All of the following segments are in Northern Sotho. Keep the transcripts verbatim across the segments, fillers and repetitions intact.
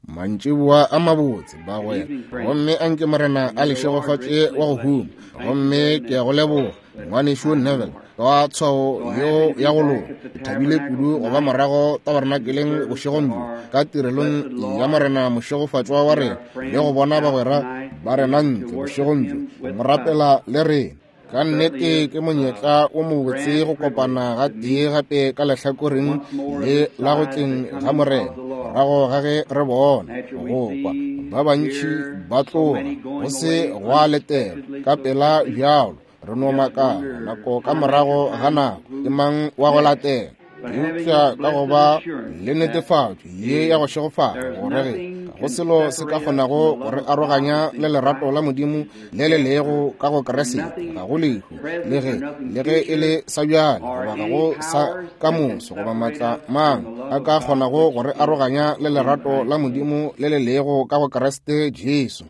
Mantšiboa a mabotse bagwera, gomme anke Morena a le šegofatše wa go huma. Gomme ke a go leboga ngwanešu Neville ka tshwao yeo ya go loka. Ke thabile kudu go ba morago tabernakeleng bošegong bjo ka tirelong ya Morena mošegofatšwa wa rena, le go bona bagwera ba rena ntle bošegong bjo go rapela le rena. Ka nnete ke monyetla o mobotse go kopana ga tee gape ka lehlakoreng le la go tleng ga Morena, morago ga ge re bona go kwa ba bantši ba tloga go se gwa letela ka pela bjalo. Re no makala nako ka morago ga nako ke mang wa go latela. Eupša ka go ba le netefatšo ye ya go šegofala gore ge go selo se ka kgonago go re aroganya le lerato la Modimo le le lego ka go Kriste, ga go lehu le ge le ge e le sa bjale goba ga go sa ka moso goba maatla mang a ka kgonago go re aroganya le lerato la Modimo le le lego ka go Kriste Jesu.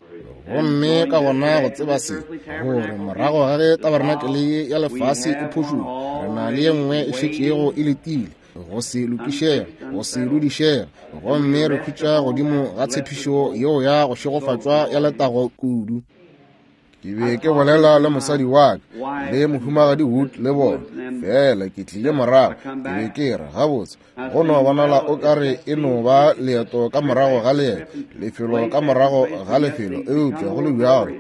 Gomme ka gona go tseba se, gore morago ga ge tabernakeleye ya lefase e phušoga, re na le ye nngwe e šetšego e letile go se lokišega, go se dudišega, gomme re khutša godimo ga tshepišo yeo ya go šegofatšwa ya letago kudu. Ke be ke bolela le mosadi wa ka le mohumagadi Wood le bona, fela ke tlile morago, ke be ke re gabotse go no bonala o ka re e no ba leeto ka morago ga leeto, lefelo ka morago ga lefelo, eupša go le bjalo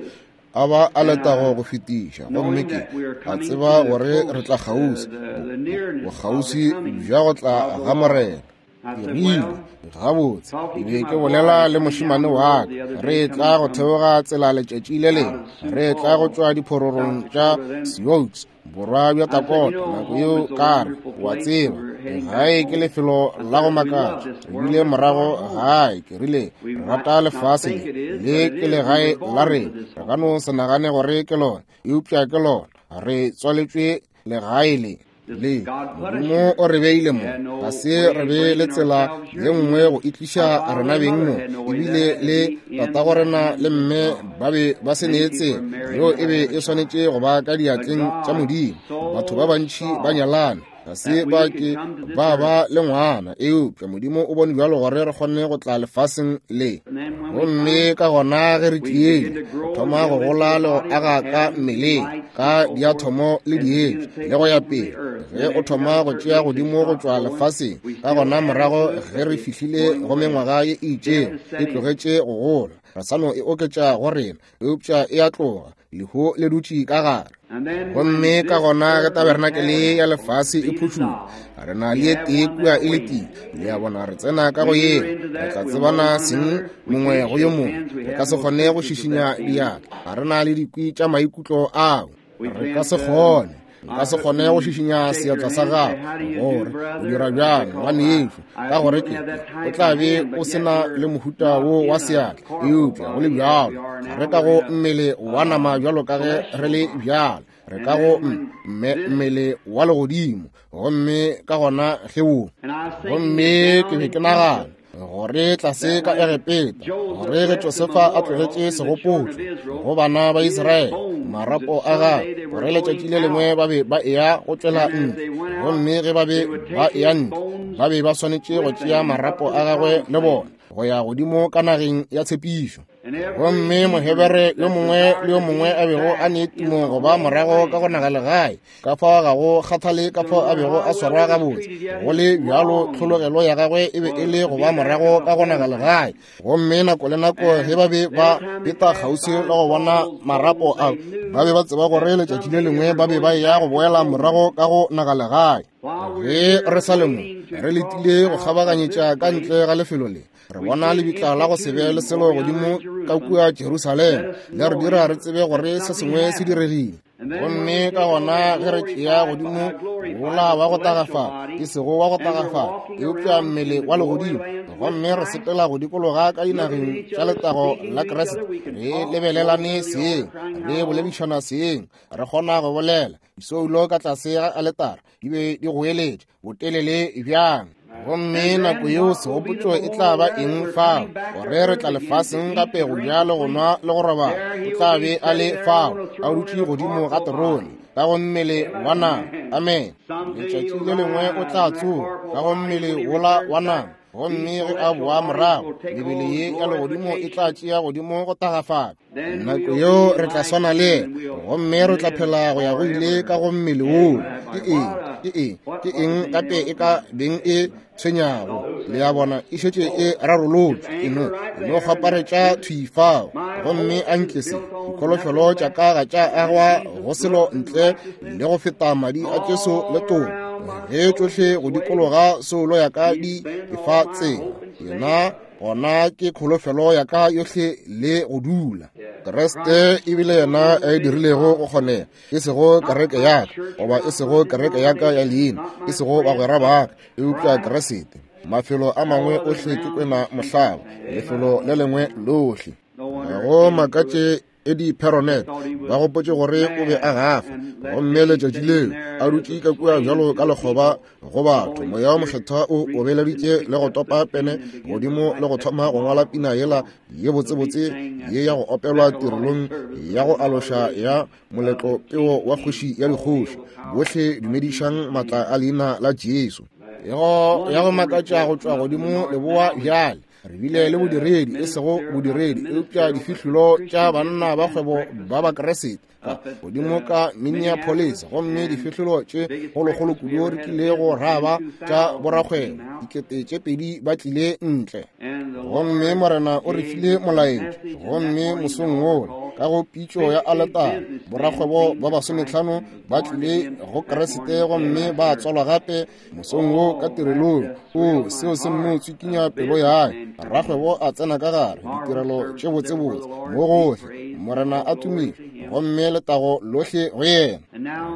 a ba a letago go fetiša. Gomme ke a tseba gore re tla kgauswi, bokgauswi bja go tla ga Morena. Ke rile gabotse, ke be ke bolela le mošemane wa ka, re tla go theoga tsela letšatši le lengwe, re tla go tšwa diphororong tša Sioux borwa bja Dakota. Nako yeo ka re, wa tseba, gae ke lefelo la go makatša. Re bile morago gae, ke rile re rata lefase le, le ke legae la rena. Re ka no se nagane gore ke lona, eupša ke lona. Re tswaletšwe legae le. Le Modimo o re beile mo, ga se re be le tsela ye nngwe go itliša rena beng mo, ebile le tatago rena le mme ba be ba se ne tsela yeo e be e swanetše go ba ka diatleng tša Modimo. Batho ba bantši ba nyalane, ga se ba ke ba ba le ngwana, eupša Modimo o bone bjalo gore re kgone go tla lefaseng le. Gomme ka gona ge re tlile, re thoma go gola le go aga ka mmeleng, ka diathomo le dietša le go ya pele. Ge o thoma go tšea godimo go tšwa lefaseng, ka gona morago ge re fihlile go mengwaga ye e itšego, e tlogetše go gola, re sa no e oketša go rena, eupša e a tloga, lehu le dutše ka gare. Gomme ka gona ge tabernakele ya lefase e phušoga, re na le ye tee kua e letile. Le a bona, re tsena ka go yeo, re tla tsebana seng mongwe go yo mongwe. Re ka se kgone go šišinya diatla, ga re na le dikwi tša maikutlo ao, re ka se kgone. Nka se kgone go šišinya seatla sa gago gore o dira bjang ngwanešu, ka gore ke o tla be o se na le mohuta wo wa seatla, eupša go le bjalo ga re ka go mmele wa nama bjalo ka ge re le bjalo, re ka go mmele wa legodimo. Gomme ka gona ge wo, gomme ke be ke nagana gore tlase ka Egepeta, gore ge Josefa a tlogetše segopotšo go bana ba Israele, marapo a gagwe, gore letšatši le lengwe ba be ba eya go tšwela ntle, gomme ge ba be ba eya ntle, ba be ba swanetše go tšea marapo a gagwe le bona go ya godimo ka nageng ya tshepišo. Gomme Mohebere yo mongwe le yo mongwe a bego a ne tumo go ba morago ka go naga legae, ka fao ga go kgathale ka fao a bego a swarwa gabotse, go le bjalo tlhologelo ya gagwe e be e le go ba morago ka go naga legae. Gomme nako le nako ge ba be ba feta kgauswi le go bona marapo ao, ba be ba tseba gore letšatši le lengwe ba be ba eya go boela morago ka go naga legae. Ge re sa le mo, re letile go kgabaganyetša ka ntle ga lefelo le, re bona lebitla la go se be le selo godimo ka kua Jerusalema, le re dira re tsebe gore se sengwe se diregile. Gomme ka gona ge re tšea godimo wola wa go tagafala, e sego wa go tagafala, eupša mmele wa legodimo, gomme re sepela go dikologa ka dinageng tša letago la Kriste, re lebelelane seeng, re boledišana seeng, re kgona go bolela. Disoulo ka tlase ga aletara di be di goeletša botelele bjang. Gomme nako yeo segopotšo e tla ba eng fao, gore re tla lefaseng gape go ja le go nwa le go robala. O tla be a le fao a dutše godimo ga terone ka go mmele wa nama. Amen. Letšatši le lengwe o tla tsoga ka go mmele wola wa nama, Gomme ge a boa morago, mebele ye ya legodimo e tla tšea godimo go tagafala. Nako yeo re tla swana le yena, gomme re tla phela go ya go ile ka go mmele woo. Ke eng? Ke eng? Ke eng gape e ka beng e tshwenyago? Le a bona, e šetše e rarolotšwe. E no, e no kgwaparetša thwi fao. Gomme a nke se, dikholofelo tša ka ga tša agwa go selo ntle le go feta madi a Jesu le toka. Ge tšohle go dikologa soulo ya ka di efa tsela, yena gona ke kholofelo ya ka yohle le go dula. Kriste ebile yena a e dirilego go kgonega, e sego kereke ya ka, goba e sego kereke ya ka ya leina, e sego bagwera ba ka, eupša Kriste. Mafelo a mangwe ohle ke kwena mohlaba, lefelo le lengwe lohle. Ga go makatše Eddie Perronet ba gopotše gore o be a gafa, gomme letšatši leo a dutše ka kua bjalo ka lekgoba go batho. Moya wa Mokgethwa o obeleditše le go topa pene godimo le go thoma go ngwala pina yela ye botsebotse ye ya go opelwa tirelong ya go aloša ya moletlo peo wa kgoši ya dikgoši. Bohle dumedišang matla a leina la Jesu. Ego ya go makatša go tšwa godimo leboa bjale. Re bile le bodiredi, e sego bodiredi, eupša difihlolo tša banna ba kgwebo ba Bakriste ka godimo ka Minneapolis, gomme difihlolo tše kgolokgolo kudu re kilego ra ba tša borakgwebo, dikete tše pedi ba tlile ntle. Gomme Morena o re file molaetša, gomme mosong wola ka go pitšo ya aletare, borakgwebo ba basometlhano ba tlile go Kriste gomme ba tswalwa gape mosong wo ka tirelong. O seo se nno tswikinya pelo ya hae. Rakgwebo a tsena ka gare ditirelo tše botsebotse mo gohle, Morena a tumile, gomme letago lohle go yena.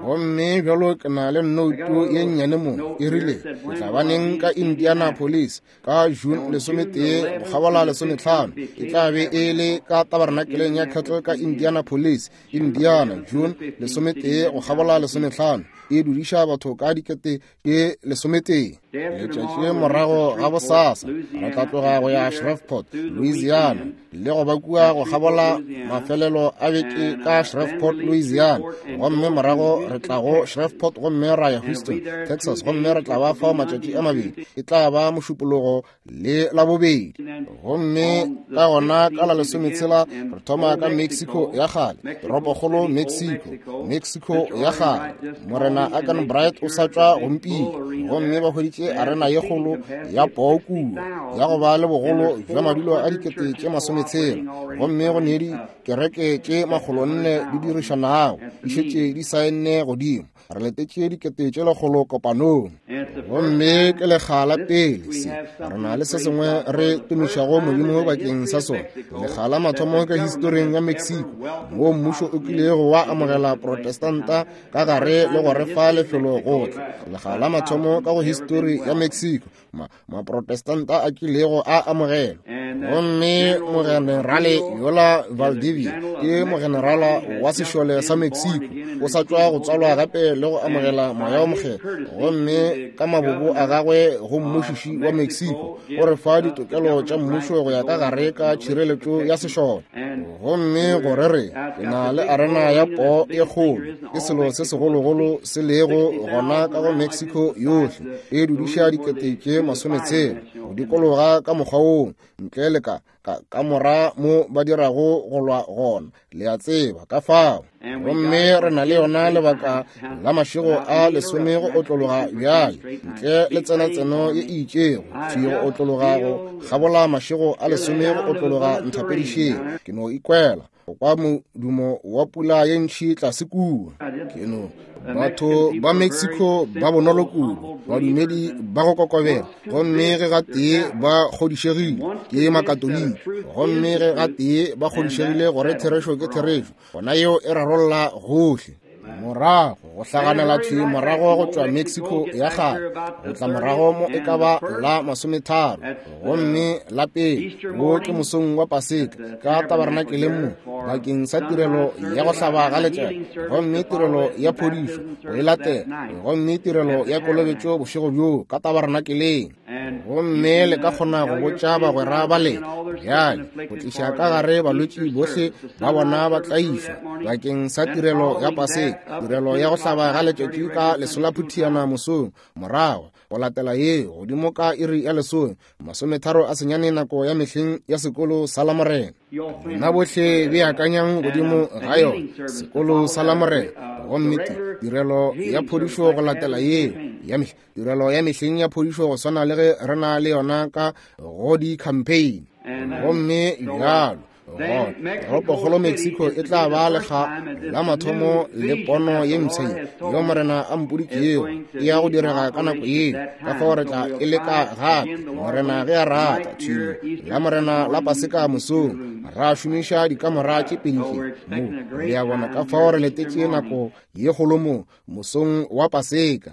Gomme bjalo ke na le nnoutu ye nnyane mo, e rile ke tla ba neng ka Indianapolis ka June lesometee go kgabola lesometlhano. E tla be e le ka tabernakeleng ya Kettle ka Indianapolis, Indiana, June lesometee go kgabola lesometlhano. E dudiša batho ka dikete tše lesometee. Letšatši morago ga bosasa re tla tloga go ya Shreveport, Louisiana, le go ba kua go kgabola mafelelo a beke ka Shreveport, Louisiana. Gomme morago re tla go Shreveport gomme ra ya Houston, Texas, gomme re tla ba fao matšatši a mabedi. E tla ba Mošupologo le Labobedi. Gomme ka gona ka la lesometshela re thoma ka Mexico ya kgale, toropokgolo Mexico, Mexico ya kgale. Morena Akan Bright o sa tšwa gompile, gomme ba hweditše arena ye kgolo ya poo kua ya go ba le bogolo bja madulo a dikete tše masometshela, gomme go ne dikereke tše makgolonne di dirišanago di šetše di saenne godimo. Re letetše dikete tše lekgolo kopanong, gomme ke lekga la pele se re na le se sengwe re tumišago Modimo bakeng sa sona. Lekga la mathomo ka historing ya Mexico moo mmušo o kilego wa amogela Protestanta ka gare le go re fa lefelo go tla. Lekga la mathomo ka go histori ya Mexico ma Maprotestanta a kilego a amogelwa. Gomme mogenerale yola Valdivia ke mogenerala wa sešole sa Mexico, o sa tšwa go tswalwa gape le go amogela moya wa Mokgethwa, gomme ka mabobo a gagwe go mmušiši wa Mexico o re fa ditokelo tša mmušo go ya ka gare ka tšhireletšo ya sešole. Gomme gore re ke na le arena ya poo e kgolo, ke selo se segologolo se lego gona ka go Mexico yohle, e dudiša dikete tše masometshela go dikologa ka mokgwa woo, ntle le ka ka kamora mo ba dirago go lwa gona, le a tseba ka fao. Gomme re na le yona lebaka la mašego a lesome go otlologa bjale, ntle le tsenatseno ye e itšego thwi go otlologa go kgabola mašego a lesome go otlologa nthapedišeng. Ke no ikwela go kwa modumo wa pula ye ntšhi tlase kua. Ke no batho ba Mexico ba bonolo kudu, badumedi ba go kokobela, gomme ge gatee ba kgodišegile ke Makatoliki, gomme ge gatee ba kgodišegile gore therešo ke therešo, gona yeo e rarolla gohle. Morago go hlaganela thwi morago go tšwa Mexico ya kgale go tla morago mo e ka ba la masometharo, gomme la pele wo ke mosong wa Paseka ka tabernakeleng mo bakeng sa tirelo ya go hlaba ga letšatši, gomme tirelo ya phodišo go e latela, gomme tirelo ya kolobetšo bošego bjoo ka tabernakeleng. Gomme le ka kgona go botša bagwera ba lena bjale go tliša ka gare balwetši bohle ba bona ba tlaišwa bakeng sa tirelo ya Paseka, tirelo ya go hlaba ga letšatši ka lesolaphuthiana mosong, morago go latela ye godimo ka iri ya lesome masometharo a senyane nako ya mehleng ya sekolo sa Lamorena. Nna bohle beakanyang godimo ga yona sekolo sa Lamorena. Gomme tirelo ya phodišo go latela yeo ya mehleng, tirelo ya mehleng ya phodišo go swana le ge re na le yona ka go di-campaign. Gomme bjalo toropokgolo Mexico e tla ba lekga la mathomo le pono ye mpsha ye yo Morena a mpoditšego e ya go direga ka nako yeo. Ka fao re tla e leka gape Morena ge a rata thwimo la Morena la Paseka mosong ra šomiša dikamora tše pedi tše mo. Le a bona, ka fao re letetše nako ye kgolo mo mosong wa Paseka.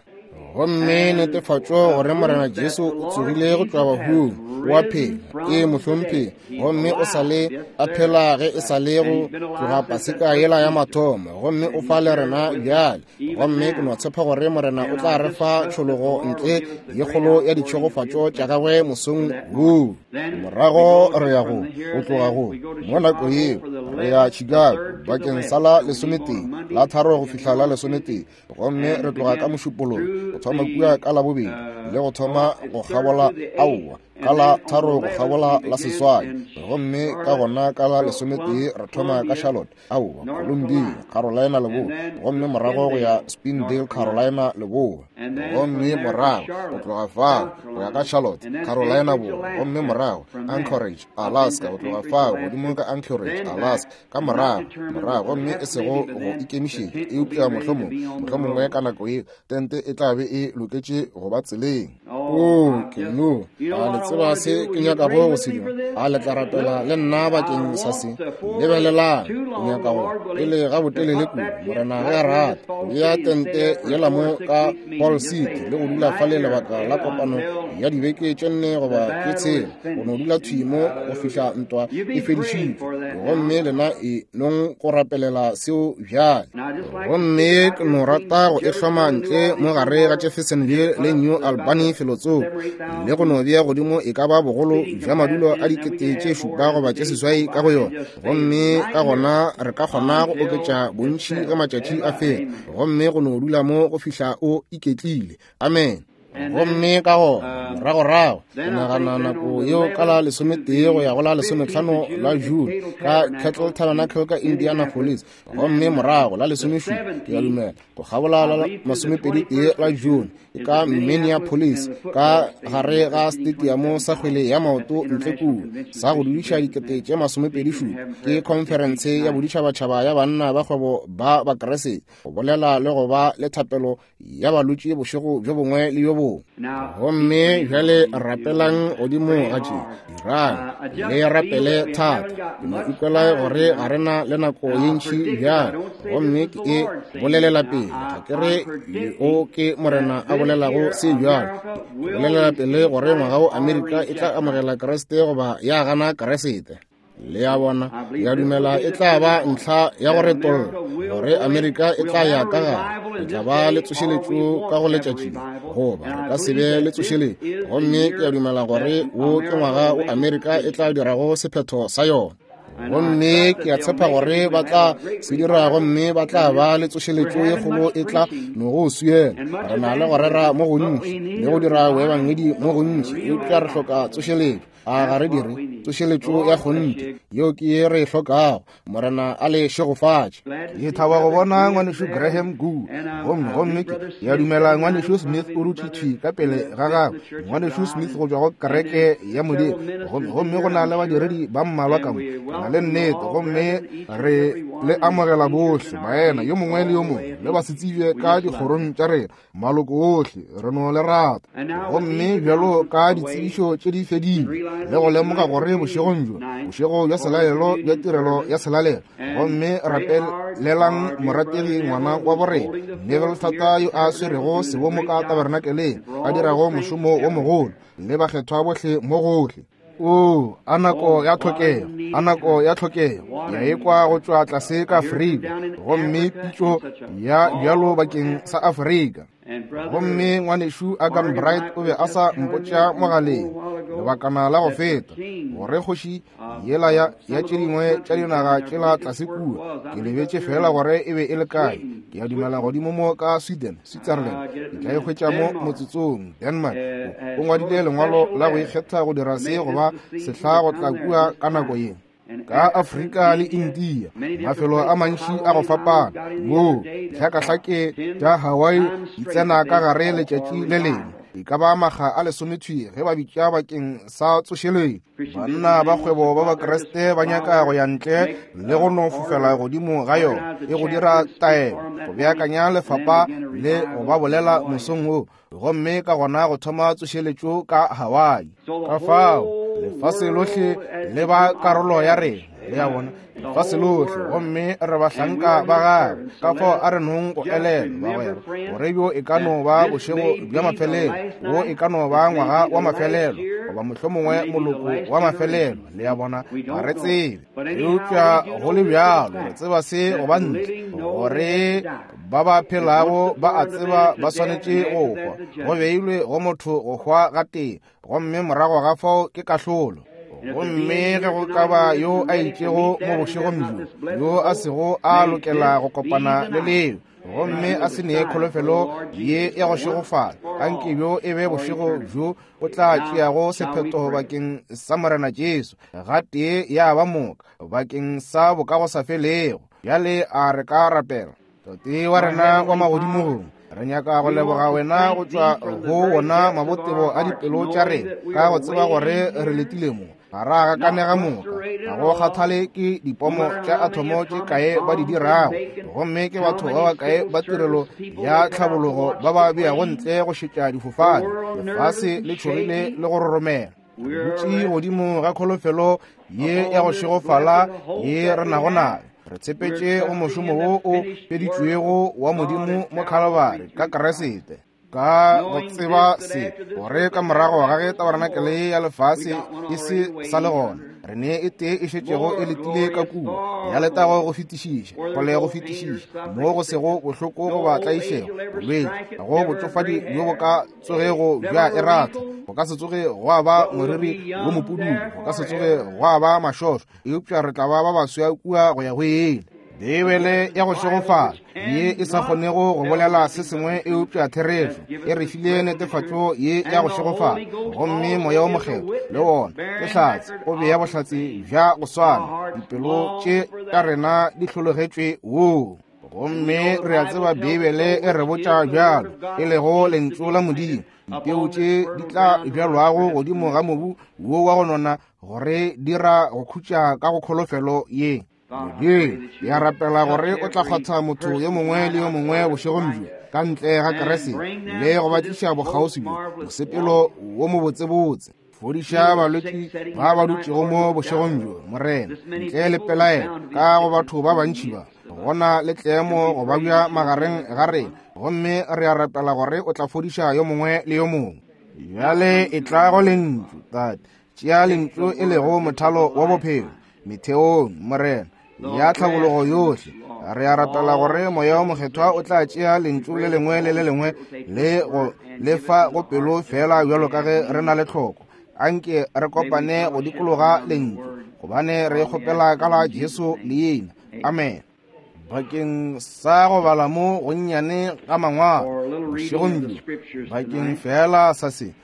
Gomme netefatšo gore Morena Jesu o tsogile go tšwa bahung, o a phela, ke mohlomphegi, gomme o sa le a phela ge e sa le go tloga Paseka yela ya mathomo, gomme o fa le rena bjale. Gomme ke no tshepa gore Morena o tla re fa tšhologo ntle ye kgolo ya ditšhegofatšo tša gagwe mosong woo. Morago re ya go go tloga go mo nako yeo re ya Chicago bakeng sa la lesometee la tharo go fihla la lesometee, gomme re tloga ka Mošupologo go thoma kua ka Labobedi le go thoma go kgabola aowa ka la tharo go kgabola la seswai, gomme ka gona ka la lesometee re thoma ka Charlotte aowa Columbia Carolina Leboa, gomme morago go ya Spindale Carolina Leboa, gomme morago go tloga fao go ya ka Charlotte Carolina Borwa, gomme morago Anchorage Alaska, go tloga fao godimo ka Anchorage Alaska, ka morago morago gomme e sego go ikemišetša eupša mohlomong mohlomongwe ka nako yeo tente e tla be e loketše go ba tseleng. O ke no a le tseba se ke nyakago go se dira? A le tla rapela le nna bakeng sa se? Lebelelang, ke nyaka go pele ga botelele kudu Morena ge a rata go bea tente yela mo ka Paul City le go dula fale lebaka la kopano ya dibeke tše nne goba tše tshela, go no dula thwi mo go fihla ntwa e fedišitšwe. Gomme lena e nong go rapelela seo bjale. Gomme ke no rata go e hloma ntle mo gare ga Jeffersonville le New Albany felotsoko, le go no bea godimo e ka ba bogolo bja madulo a dikete tše šupa goba tše seswai ka go yona, gomme ka gona re ka kgona go oketša bontši ge matšatši a fela, gomme go no dula mo go fihla o iketlile. Amen. Gomme ka gona moragorago ke nagana nako yeo ka la lesometee go ya go la lesometlhano la June ka Kettle Tabernacle ka Indianapolis, gomme morago la lesomešupa ke a dumela go kgabola la masomepedi tee la June e ka Minneapolis ka gare ga stadium sa kgwele ya maoto ntle kua sa go dudiša dikete tše masomepedi šupa. Ke khonferense ya boditšhabatšhaba ya banna ba kgwebo ba Bakreste go bolela le go ba le thapelo ya balwetši bošego bjo bongwe le bjo bongwe. Gomme bjale rapelang godimo ga tše, dirang le rapele thata. Ke no ikwela gore ga re na le nako ye ntši bjale, gomme ke e bolelela pele. Ga ke re o ke Morena a bolelago se bjalo, ke bolelela pele gore ngwaga wo Amerika e tla amogela Kriste goba ya gana Kriste. Le a bona, ke a dumela e tla ba ntlha ya go retolla gore Amerika e tla ya ka gare, e tla ba le tsošeletšo ka go letšatši le, goba re ka se be le tsošeletšo. Gomme ke a dumela gore wo ke ngwaga wo Amerika e tla dirago sephetho sa yona. Gomme ke a tshepa gore ba tla se dira, gomme ba tla ba le tsošeletšo ye kgolo e tla no go swiela. Re na le go rera mo gontši le go dira boebangedi mo gontši, eupša re hloka tsošeletšo. A ga re dire tsošeletšo ya kgonthe? Yeo ke ye re e hlokago. Morena a le šegofatše. Ke thaba go bona ngwanešu Graham Goode, gomme gomme ke ya dumela ngwanešu Smith o dutše thwi ka pele ga gagwe, ngwanešu Smith go tšwa go kereke ya Modimo, gomme gomme go na le badiredi ba mmalwa ka mo. Ke na le nnete, gomme re le amogela bohle baena yo mongwe le yo mongwe le basetsebje ka dikgorong tša rena, maloko ohle re no le rata. Gomme bjalo ka ditsebišo tše di fedile, le go lemoga gore bošegong bjo bošego bja selalelo bja tirelo ya selalelo, gomme rapelelang morategi ngwana wa borena Neville Thata yo a swerego sebomo ka tabernakeleng, a dirago mošomo wo mogolo le bakgethwa bohle mo gohle. O a nako ya tlhokego, a nako ya tlhokego ya ekwa go tšwa tlase ka Afrika, gomme pitšo ya bjalo bakeng sa Afrika. Gomme ngwanešu Agan Bright o be a sa mpotša mogaleng Lebakana la go feta, gore kgoši yela ya, ya tše dingwe tša dinaga tšela tlase kua, ke lebetše fela gore e be e le kae. Ke a dumela godimo mo ka Sweden, Switzerland, ke tla e hwetša mo motsotsong, Denmark. O ngwadile lengwalo la go ikgetha go dira se goba sehla go tla kua ka nako ye. Ka Afrika le India, mafelo a mantši a go fapana, moo dihlakahlake tša Hawaii di tsena ka gare letšatši le lengwe, e ka ba makga a lesomethwi ge ba bitša bakeng sa tsošeletšo. Banna ba kgwebo ba Bakriste ba nyaka go ya ntle le go no fofela godimo ga yona, e go dira taelo, go beakanya lefapa le go ba bolela mosong wo, gomme ka gona go thoma tsošeletšo ka Hawaii. Ka fao lefase lohle le ba karolo ya rena, le a bona, lefase lohle, gomme re bahlanka ba gagwe. Ka fao a re nong go elelwa, bagwera, gore bjo e ka no ba bošego bja mafelelo, wo e ka no ba ngwaga wa mafelelo, goba mohlomongwe moloko wa mafelelo, le a bona, ga re tsebe. Eupša go le bjalo re tseba se goba ntle, gore ba ba phelago ba a tseba ba swanetše go hwa. Go beilwe go motho go hwa gatee, gomme morago ga fao ke kahlolo. Gomme ge go ka ba yo a itšego mo bošegong bjo, yo a sego a lokela go kopana le leo, gomme a se nee kholofelo ye ya go šegofala, anke bjo e be bošego bjo o tla tšeago sephetho bakeng sa Morena Jesu, gatee ya ba moka, bakeng sa bokagosafelego. Bjale a re ka rapela. Tate wa rena wa magodimong, re nyaka go leboga wena go tšwa go wona mabotebo a dipelo tša rena, ka go tseba gore re letile mo. Ga ra gakanega moka, ga go kgathale ke dipomo tša athomo tše kae ba di dirago, gomme ke batho ba bakae ba tirelo ya tlhabologo ba ba beago ntle go šetša difofane. Lefase le tšhogile le go roromela. Re dutše godimo ga kholofelo ye ya go šegofala ye re nago nayo. Re tshepetše go mošomo wo o feditšwego wa Modimo mo Calvary ka Kriste, ka go tseba se, gore ka morago ga ge tabarenakele ya lefase e se sa le gona, re ne e tee e šetšego e letile ka kua, ya letago go fetišiša, kgole go fetišiša, mo go sego bohloko goba tlaišego, bolwetši, ga go botšofadi bjo bo ka tsogego bja e ratha, go ka se tsoge gwa ba moriri wo mopududu, go ka se tsoge gwa ba mašošo, eupša re tla ba ba baswa kua go ya go ile. Beibele ya go šegofala ye e sa kgonego go bolela se sengwe eupša therešo, e re file netefatšo ye ya go šegofala, gomme Moya wo Mokgethwa le wona ke hlatse, o bea bohlatse bja go swana. Dipelo tše tša rena di hlologetšwe woo. Gomme re a tseba Beibele e re botša bjalo, e lego lentšu la Modimo, dipeu tše di tla bjalwago godimo ga mobu wo wa go nona, gore dira go khutša ka go kholofelo ye. Modimo, ke a rapela gore o tla kgwatha motho yo mongwe le yo mongwe bošegong bjo ka ntle ga Kriste, le go ba tliša bokgauswi bjo mosepelo wo mobotsebotse. Fodiša balwetši ba ba dutšego mo bošegong bjo, Morena, ntle le pelaelo ka go batho ba bantši ba gona le tlemo go babja magareng ga rena, gomme re a rapela gore o tla fodiša yo mongwe le yo mongwe. Bjale e tla go lentšu, Tate, tšea lentšu e lego mothalo wa bophelo metheong, Morena, ya tlhabologo yohle. Re a rapela gore Moya wo Mokgethwa o tla tšea lentšu le lengwe le le lengwe le go lefa go pelo fela bjalo ka ge re na le tlhoko. Anke re kopane go dikologa lentšu, gobane re kgopela ka la Jesu leina. Amen. Bakeng sa go bala mo gonnyane ga mangwalo bošegong bjo, bakeng fela sa se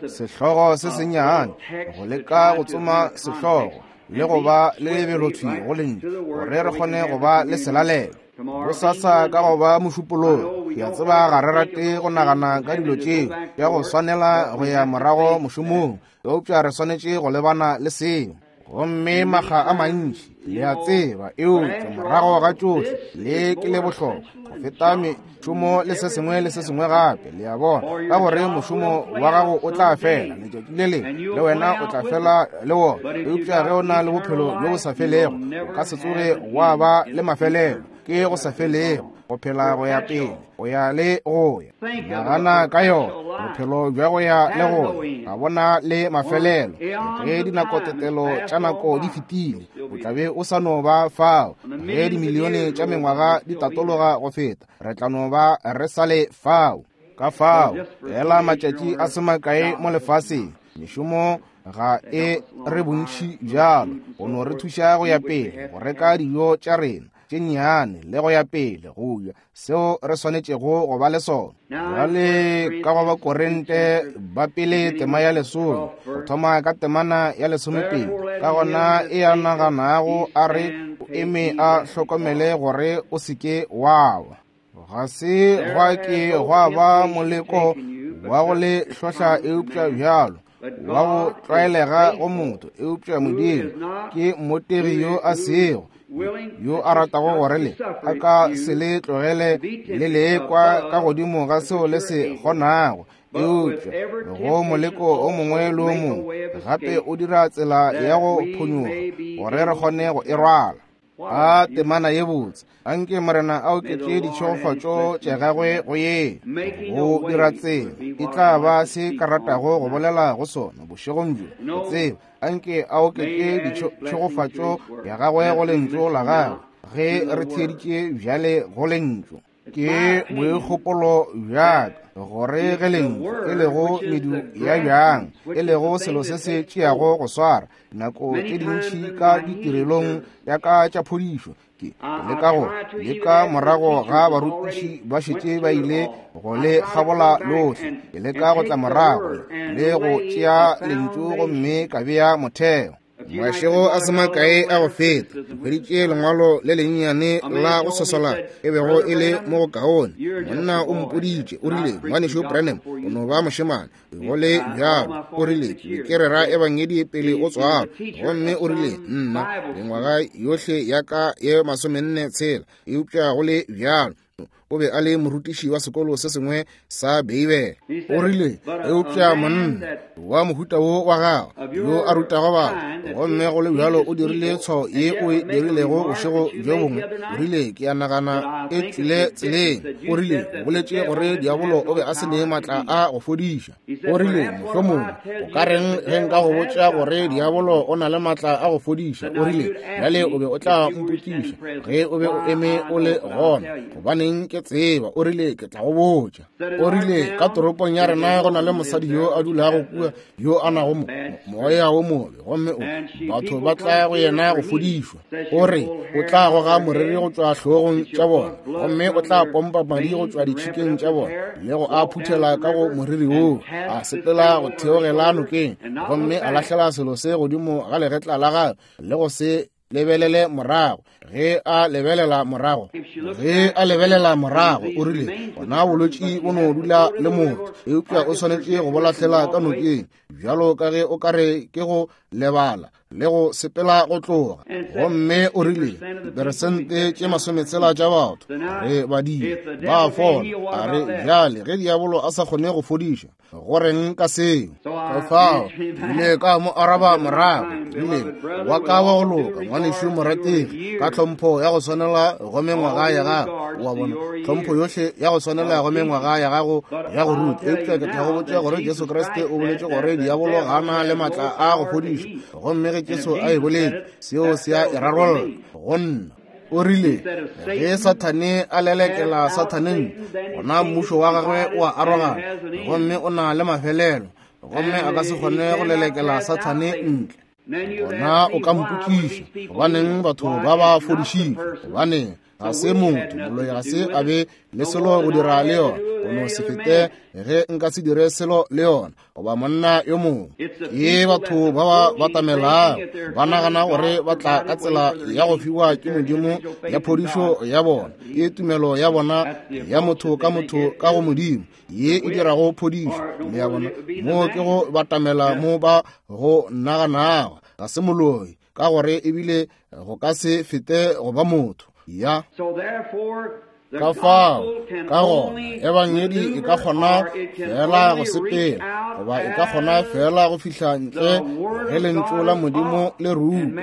sehlogo se sennyane, go leka go tsoma sehlogo le go ba le lebelothwi go lentšu, gore re kgone go ba le selalelo bosasa ka go ba mošupologo. Ke a tseba ga re rate go nagana ka dilo tšeo tša go swanela go ya morago mošomong, eupša re swanetše go lebana le seo. Gomme makga a mantši, le a tseba, eupša morago ga tšohle le ke le bohlokwa go feta mešomo le se sengwe le se sengwe gape, le a bona, ka gore mošomo wa gago o tla fela letšatši le lengwe, le wena o tla fela le wona. Eupša ge o na le bophelo bjo bo sa felego, o ka se tsoge wa ba le mafelelo, ke go sa felego, go phela go ya pele, go ya le go ya. Nagana ka yona, bophelo bja go ya le go ya ga bona le mafelelo. Ge dinakotetelo tša nako di fetile, o tla be o sa no ba fao. Ge dimilione tša mengwaga di tatologa go feta, re tla no ba re sa le fao. Ka fao, fela matšatši a se makae mo lefaseng, Mešomo ga e re bontši bjalo, go no re thuša go ya pele go reka dijo tša rena tše nnyane le go ya pele go ja seo re swanetšego go ba le sona. Bjale ka go Bakorinte ba pele tema ya lesome, go thoma ka temana ya lesomepedi, ka gona e a naganago a re o eme a hlokomele gore o se ke wa wa. Ga se gwa ke gwa ba moleko wa go le hlohla eupša bjalo wa go tlwaelega go motho, eupša Modimo ke mmotegi yo a sego yo a ratago gore le a ka se le tlogele le lekwa ka godimo ga seo le se kgonago, eupša go moleko o mongwe le o mongwe gape o dira tsela ya go phonyoga gore re kgone go e rwala. A temana ye botse, anke Morena a oketše ditšhegofatšo tša gagwe go ye. Go dira tsela e tla ba se ka ratago go bolela go sona bošegong bjo, go tseba anke a oketše ditšhegofatšo ya gagwe go lentšu la gagwe ge re theeditše bjale go lentšu. Ke boikgopolo bjaka gore ge lentšu e lego medu ya bjang, e lego selo se se tšeago go swara nako tše dintši ka ditirelong ya ka tša phodišo, ke leka go leka morago ga barutiši ba šetše ba ile go le kgabola lohle, ke leka go tla morago le go tšea lentšu gomme ka bea motheo. Mašego a se makae a go feta, ke hweditše lengwalo le lennyane la go sosola e bego e le mo go kaone. Monna o mpoditše, o rile, Ngwanešu Branham, o no ba mošemane, go le bjalo. O rile, ke be ke rera ebangedi pele o tswalwa. Gomme o rile, nna mengwaga yohle ya ka ye masomenne tshela, eupša go le bjalo o be a le morutiši wa sekolo se sengwe sa Beibele. O rile, eupša monna wa mohuta wo wa gago yo a rutago batho, gomme go le bjalo o dirile tshwao ye o e dirilego bošego bjo bongwe. O rile, ke a nagana e tšwile tseleng. O rile, o boletše gore diabolo o be a se ne maatla a go fodiša. O rile, mohlomongwe o ka reng ge nka go botša gore diabolo o na le maatla a go fodiša? O rile, bjale o be o tla mpotšiša ge o be o eme o le gona, gobaneng ke tseba. O rile, ke tla go botša. O rile, ka toropong ya rena go na le mosadi yo a dulago kua yo a nago moya wo mobe, gomme o batho ba tla go yena go fodišwa. O re o tla goga moriri go tšwa hlogong tša bona, gomme o tla pompa madi go tšwa ditšhikeng tša bona le go a phuthela ka go moriri woo, a sepela go theogela nokeng, gomme a lahlela selo se godimo ga legetla la gagwe le go se lebelele morago. Ge a lebelela morago, ge a lebelela morago, o rile, gona bolwetši bo no dula le motho, eupša o swanetše go bo lahlela ka nokeng, bjalo ka ge o ka re ke go lebala le go sepela go tloga. Gomme o rile, diperesente tše masometshela tša batho re badile ba fola. A re, bjale ge diabolo a sa kgone go fodiša, go reng ka seo? Ka fao ile ka mo araba morago, rile, wa ka wa go loka ngwanešu morategi, ka tlhompho ya go swanela go mengwaga ya gago, wa bona tlhompho yohle ya go swanela go mengwaga ya gago ya go ruta, eupša ke tla go botša gore Jesu Kriste o boletše gore diabolo ga na le maatla a go fodiša, gomme ge Jesu a e boletše, seo se a e rarolla go nna. O rile, ge Sathane a lelekela Sathaneng, gona mmušo wa gagwe o a arogana, gomme o na le mafelelo, gomme a ka se kgone go lelekela Sathane ntle. Gona o ka mpotšiša, gobaneng batho ba ba fodišitšwe? Gobaneng ga se motho, moloi ga se a be le selo go dira le yona, go no se fete ge nka se dire selo le yona, goba monna yo mongwe. Ke batho ba ba batamelago ba nagana gore ba tla ka tsela ya go fiwa ke Modimo ya phodišo ya bona, ke tumelo ya bona ya motho ka motho ka go Modimo ye e dirago phodišo le ya bona. Mo ke go batamela mo ba go naganago ga se moloi, ka gore ebile go ka se fete go ba motho ya. Ka fao ka gona ebangedi e ka kgona fela go sepela, goba e ka kgona fela go fihla ntle ge lentšu la Modimo le rutwa,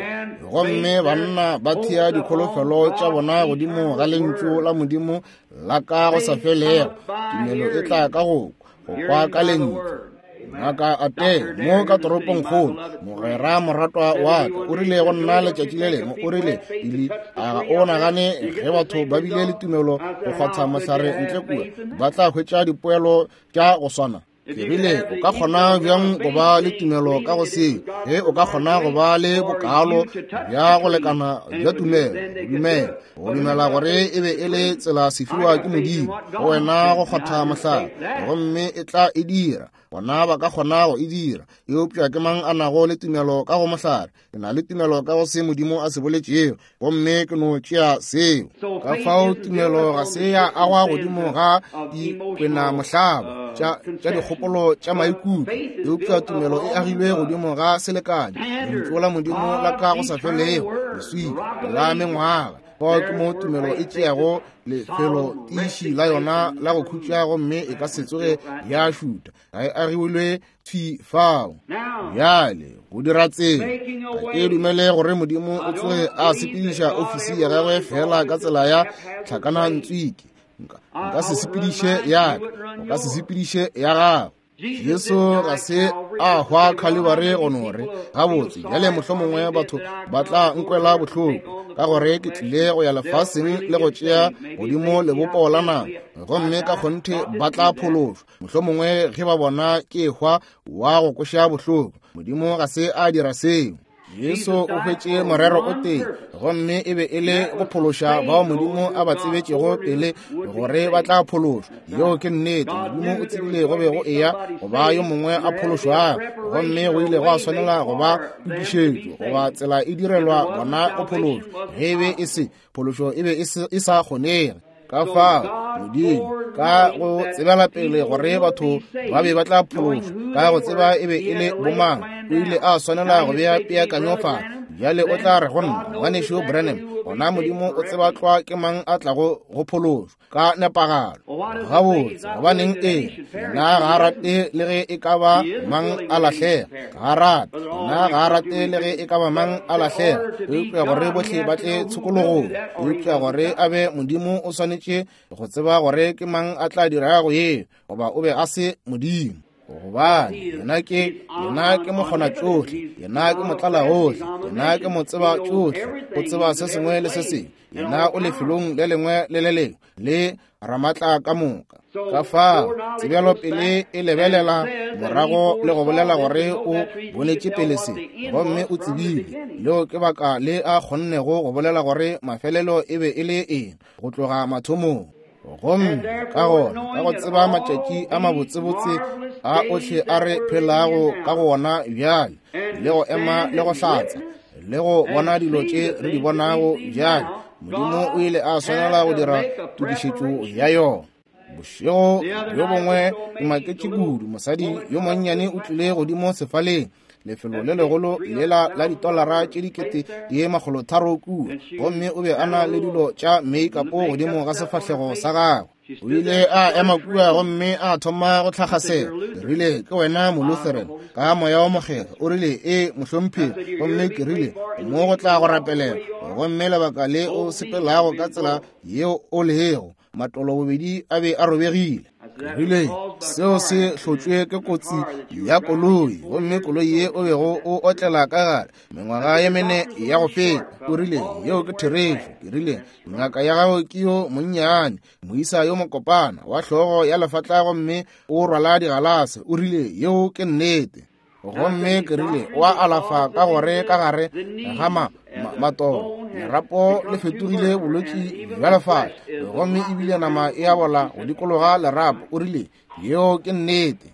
gomme banna ba thea dikholofelo tša bona godimo ga lentšu la Modimo la ka go sa felego. Tumelo e tla ka go go kwa ka lentšu. Ngaka Ate mo ka toropongkgolo, mogwera moratwa wa ka, o rile go nna letšatši le lengwe, o rile, Billy, a ga o nagane ge batho ba bile le tumelo go kgwatha mohlare ntle kua ba tla hwetša dipoelo tša go swana? Ke rile, o ka kgona bjang go ba le tumelo ka go seo? Ge o ka kgona go ba le bokalo bja go lekana bja tumelo, go dumela, go dumela gore e be e le tsela sefiwa ke Modimo go wena go kgotha mohlare, gomme e tla e dira. Bona ba ka kgona go e dira. Eupša ke mang a nago le tumelo ka go mohlare? Ke na le tumelo ka go se Modimo a se boletšego, gomme ke no tšea seo. Ka fao tumelo ga se ya agwa godimo ga dikwenamohlaba tša tša dikgopolo tša maikutlo, eupša tumelo e agilwe godimo ga selekanyo, lentšu la Modimo la ka go sa felego, leswika la mengwaga. Fao ke mo tumelo e tšeago lefelo tiiši la yona la go khutša, gomme e ka se tsoge ya šuta. Ga e agilwe thwi fao. Bjale go dira tsela, ga ke dumele gore Modimo o tsoge a sepediša ofisi ya gagwe fela ka tsela ya tlhakanantswiki. Nka se sepediše ya ka, o ka se sepediše ya gago. Jesu ga se a hwa Khalibari go no re, gabotse bjale mohlomongwe batho ba tla nkwela bohloko ka gore ke tlile go ya lefaseng le go tšea godimo lebopo la nama, gomme ka kgonthe ba tla phološwa mohlomongwe ge ba bona ke hwa wa go kweša bohloko. Modimo ga se a dira seo. Jesu o hwetše morero o tee, gomme e be e le go phološa bao Modimo a ba tsebetšego pele gore ba tla phološwa. Yeo ke nnete. Modimo o tsebile go be go eya go ba yo mongwe a phološwago, gomme go ile gwa swanela go ba tokišetšo goba tsela e direlwa bona go phološwa. Ge e be e se phološo, e be e sa kgonege. Ka fao Modimo ka go tsebela pele gore batho ba be ba tla phološwa, ka go tseba e be e le bomang, o ile a swanela go bea peakanyo fa. Bjale o tla re go nna, ngwanešu Branham, gona Modimo o tseba tlwa ke mang a tlago go phološwa ka nepagalo. Gabotse, gobaneng ee, yena ga a rate le ge e ka ba mang a lahlega. Ga a rate, yena ga a rate le ge e ka ba mang a lahlega, eupša gore bohle ba tle tshokologong. Eupša gore a be Modimo o swanetše go tseba gore ke mang a tla dirago yeo, goba o be a se Modimo. Gobane yena ke yena ke mokgonatšohle, yena ke motlalagohle, yena ke motseba tšohle, o tseba se sengwe le se sengwe. Yena o lefelong le lengwe le le lengwe le ramatla ka moka. Ka fao tsebelopele e lebelela morago le go bolela gore o bonetše pele se, gomme o tsebile. Leo ke baka le a kgonnego go bolela gore mafelelo e be e le eng go tloga mathomong. Gomme ka gona ka go tseba matšatši a mabotsebotse a ohle a re phelago ka go ona bjale, le go ema le go hlatsa le go bona dilo tše re di bonago bjale, Modimo o ile a swanela go dira tokišetšo ya yona. Bošego bjo bongwe ke maketše kudu, mosadi yo monnyane o tlile godimo sefaleng, lefelo le legolo lela la ditolara tše dikete di makgolo tharo kua, gomme o be a na le dilo tša make-up godimo ga sefahlego sa gagwe. O ile a ema kua gomme a thoma go tlhakgasela. Ke rile, ke wena Molutheran ka moya o mokgethwa? O rile, ee mohlomphegi. Gomme ke rile, mo go tla go rapelela, gomme lebaka le o sepelago ka tsela yeo o lego, matolo bobedi a be a robegile. Ke rile, seo se hlotšwe ke kotsi ya koloi, gomme koloi ye o bego o otlela ka gare mengwaga ye mene ya go feta. O rile, yeo ke therešo. Ke rile, ngaka ya gago ke yo monnyane, moisa yo mokopana wa hlogo ya lefatla, gomme o rwala digalase. O rile, yeo ke nnete. Gomme ke rile, o a alafa ka gore ka gare ga ma matolo lerapo le fetogile bolwetši bja lefatla, gomme ebile nama e a bola go dikologa lerapo. O rile, yeo ke nnete.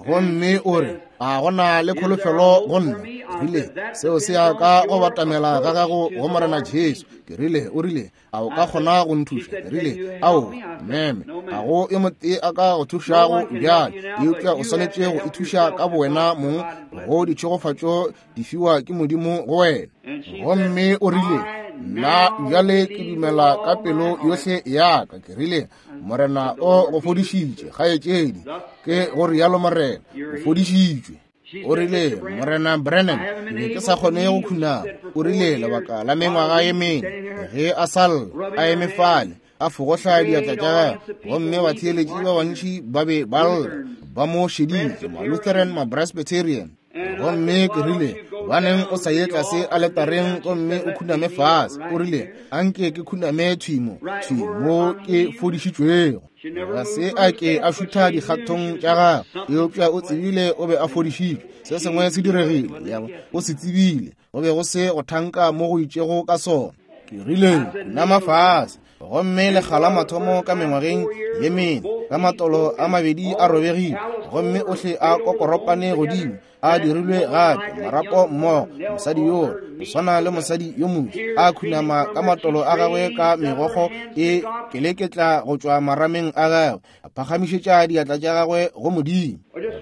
Gomme o re, a gona le kholofelo go nna? Ke rile, seo se ya ka go batamela ga gago go Morena Jesu. Ke rile, o rile, a o ka kgona go nthuša? Ke rile, ao meme, ga go yo motee a ka go thušago bjale, eupša o swanetše go ithuša ka bowena mong go ditšhegofatšo di fiwa ke Modimo go wena. Gomme o rile, nna bjale ke dumela ka pelo yohle ya ka. Ke rile, Morena o go fodišitše, kgaetšedi. Ke go rialo Morena, o fodišitšwe. O rile, Morena Branham, ke be ke sa kgone go khunama. O rile, lebaka la mengwaga ye mene ge a sa lla a eme fale a fogohla diatla tša gagwe, gomme batheeletši ba bantši ba be ba lla ba mo šeditše, ma-Lutheran, ma-Presbyterian. Gomme ke rile, Gobaneng o sa ye tlase aletareng gomme o khuname fase? O rile, anke ke khuname thwi mo, thwi mo ke fodišitšwego. Ga se a ke a šutha dikgatong tša gagwe, eupša o tsebile o be a fodišitšwe. Se sengwe se diregile, ya o se tsebile. Go be go se go thanka mo go itšego ka sona. Ke rile, khunama fase. Gomme lekga la mathomo ka mengwageng ye mene, ka matolo a mabedi a robegile, gomme ohle a kokoropane godimo, a dirilwe gape marapo mmogo. Mosadi yoo go swana le mosadi yo mongwe, a khunama ka matolo a gagwe ka megokgo e keleketla go tšwa marameng a gagwe, a phagamišetša diatla tša gagwe go Modimo.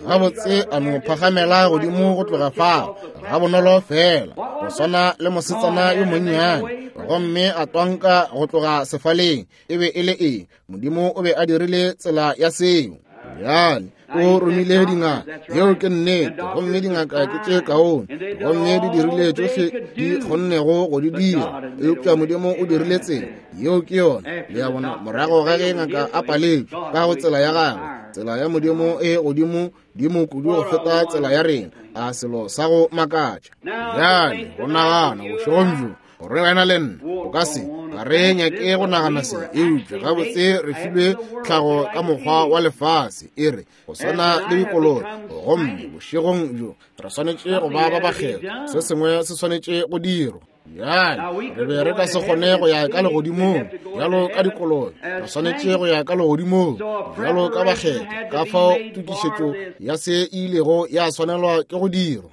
Gabotse a no phagamela godimo go tloga fao ga bonolo fela, go swana le mosetsana yo monnyane, gomme a twanka go tloga sefaleng. E be e le eng? Modimo o be a dirile tsela ya seo. Bjale o romile dingaka, yeo ke nnete, gomme dingaka ke tše kaone, gomme di dirile tšohle di kgonnego go di dira, eupša Modimo o dirile tsela, yeo ke yona. Le a bona, morago ga ge ngaka a paletšwe ka go tsela ya gagwe, tsela ya Modimo e godimo dimo kudu go feta tsela ya rena. A selo sa go makatša. Bjale go nagana bošegong bjo gore wena le nna o ka se ga re nyake go nagana se, eupša gabotse re filwe tlhago ka mokgwa wa lefase, e re go swana le dikolobe, gomme bošegong bjo re swanetše go ba ba bakgethwa. Se sengwe se swanetše go dirwa. Bjale re be re ka se kgone go ya ka legodimong bjalo ka dikolobe, re swanetše go ya ka legodimong bjalo ka bakgethwa. Ka fao tokišetšo ya se e ilego ya swanelwa ke go dirwa,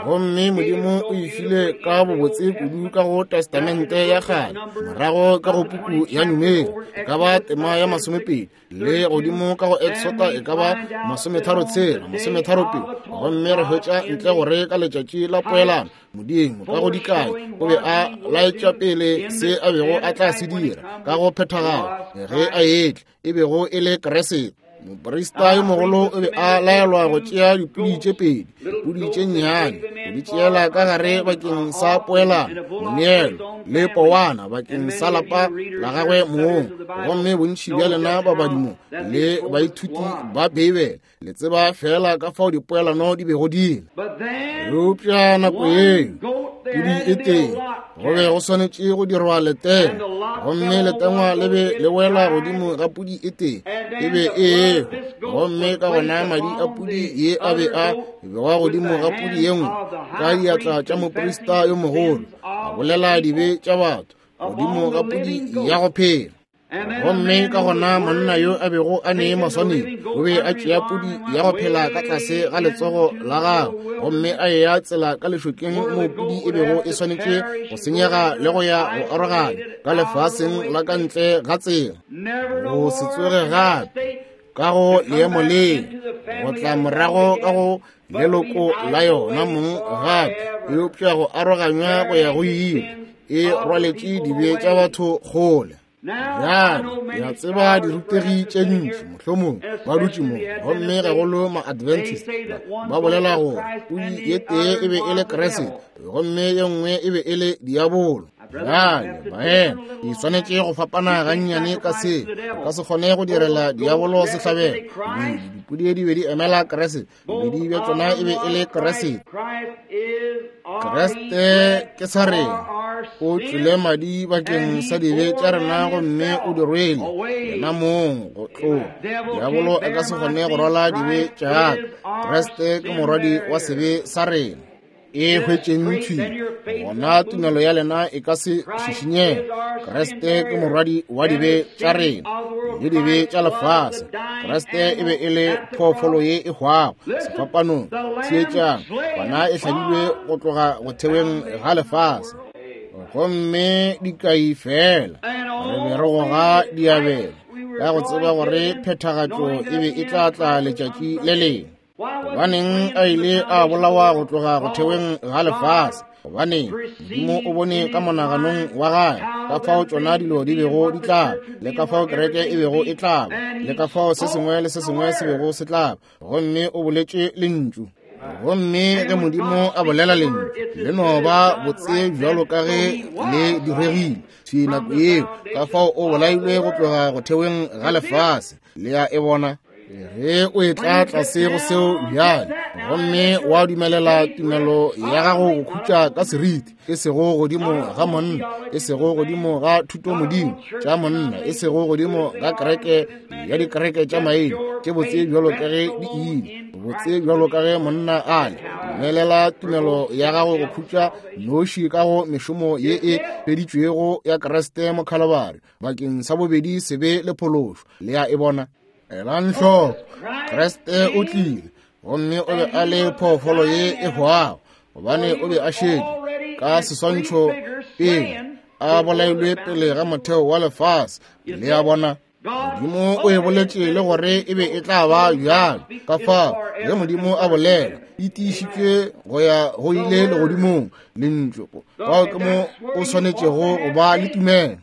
gomme Modimo o e file ka bobotse kudu ka go Testamente ya kgale, morago ka go puku ya Numeri e ka ba tema ya masomepedi, le godimo ka go Exota e ka ba masometharo tshela, masometharo pedi, gomme re hwetša ntle gore ka letšatši la poelano Modimo ka go dikai o be a laetša pele se a bego a tla se dira ka go phethagala ge a etla, e bego e le Kriste. Moprista yo mogolo o be a laelwa go tšea dipudi tše pedi, dipudi tše nnyane, go di tšeela ka gare bakeng sa poelano, moneelo le powana bakeng sa lapa la gagwe mong. Gomme bontši bja lena babadi mo le baithuti ba Beibele le tseba fela ka fao dipoelano di bego di le. Eupša nako yeo pudi e tee go be go swanetše go dirwa letengwa, gomme letengwa le be le wela godimo ga pudi e tee, e be e ehwa, gomme ka gona madi a pudi ye a be a bewa godimo ga pudi ye nngwe ka diatla tša moprista yo mogolo, a bolela dibe tša batho godimo ga pudi ya go phela. Gomme ka gona monna yo a bego a ne maswanedi o be a tšea pudi ya go phela ka tlase ga letsogo la gagwe, gomme a eya tsela ka lešokeng moo pudi e bego e swanetše go senyega le go ya go arogana ka lefaseng la ka ntle ga tsela, go se tsoge gape ka go leemo le, go tla morago ka go leloko la yona mong gape, eupša go aroganywa go ya go ile, e rwaletše dibe tša batho kgole. Bjale ke a tseba dirutegi tše ntši mohlomong ba dutše mo, gomme gagolo ma-Adventist ba bolela gore pudi ye tee e be e le Kriste, gomme ye nngwe e be e le diabolo. Bjale baena, e swanetše go fapana gannyane ka se. O ka se kgone go direla diabolo sehlabelo. Dipudi di be di emela Kriste, bobedi bja tšona e be e le Kriste. Kriste ke sa rena, o tšwele madi bakeng sa dibe tša rena, gomme o di rwele yena mong go tloga. Diabolo a ka se kgone go rwala dibe tša ka. Kriste ke morwadi wa sebe sa rena. E hwetšeng thwi, gona tumelo ya lena e ka se šišinyege. Kriste ke morwadi wa dibe tša rena le dibe tša lefase. Kriste e be e le phoofolo ye e hwago sefapanong. Theetšang, gona e hlabilwe go tloga go theweng ga lefase, gomme dikai fela re be re goga diabelo ka go tseba gore phethagatšo e be e tla tla letšatši le lengwe. Gobaneng a ile a bolawa go tloga go theweng ga lefase? Gobaneng Modimo o bone ka monaganong wa gagwe ka fao tšona dilo di bego di tla, le ka fao kereke e bego e tla, le ka fao se sengwe le se sengwe se bego se tla, gomme o boletše lentšu. Gomme ge Modimo a bolela lentšu, le no ba botse bjalo ka ge le diregile thwi nako yeo, ka fao o bolailwe go tloga go theweng ga lefase. Le a e bona? Ge o etla tlase go seo bjale, gomme wa dumelela tumelo ya gago go khutša ka seriti, e sego godimo ga monna, e sego godimo ga thutomodimo tša monna, e sego godimo ga kereke ya dikereke tša maina tše botse bjalo ka ge di ile, botse bjalo ka ge monna a le, dumelela tumelo ya gago go khutša noši ka go mešomo ye e feditšwego ya Kriste mo Khalibari bakeng sa bobedi sebe le phološo. Le a e bona? Elang hloko, Kriste o tlile, gomme o be a le phoofolo ye e hwago, gobane o be a šetše ka seswantšho pele a bolailwe pele ga motheo wa lefase. Le a bona? Modimo o e boletše le gore e be e tla ba bjalo. Ka fao ge Modimo a bolela, e tiišitšwe go ya go ile legodimong lentšu. Fao ke mo o swanetšego go ba le tumelo.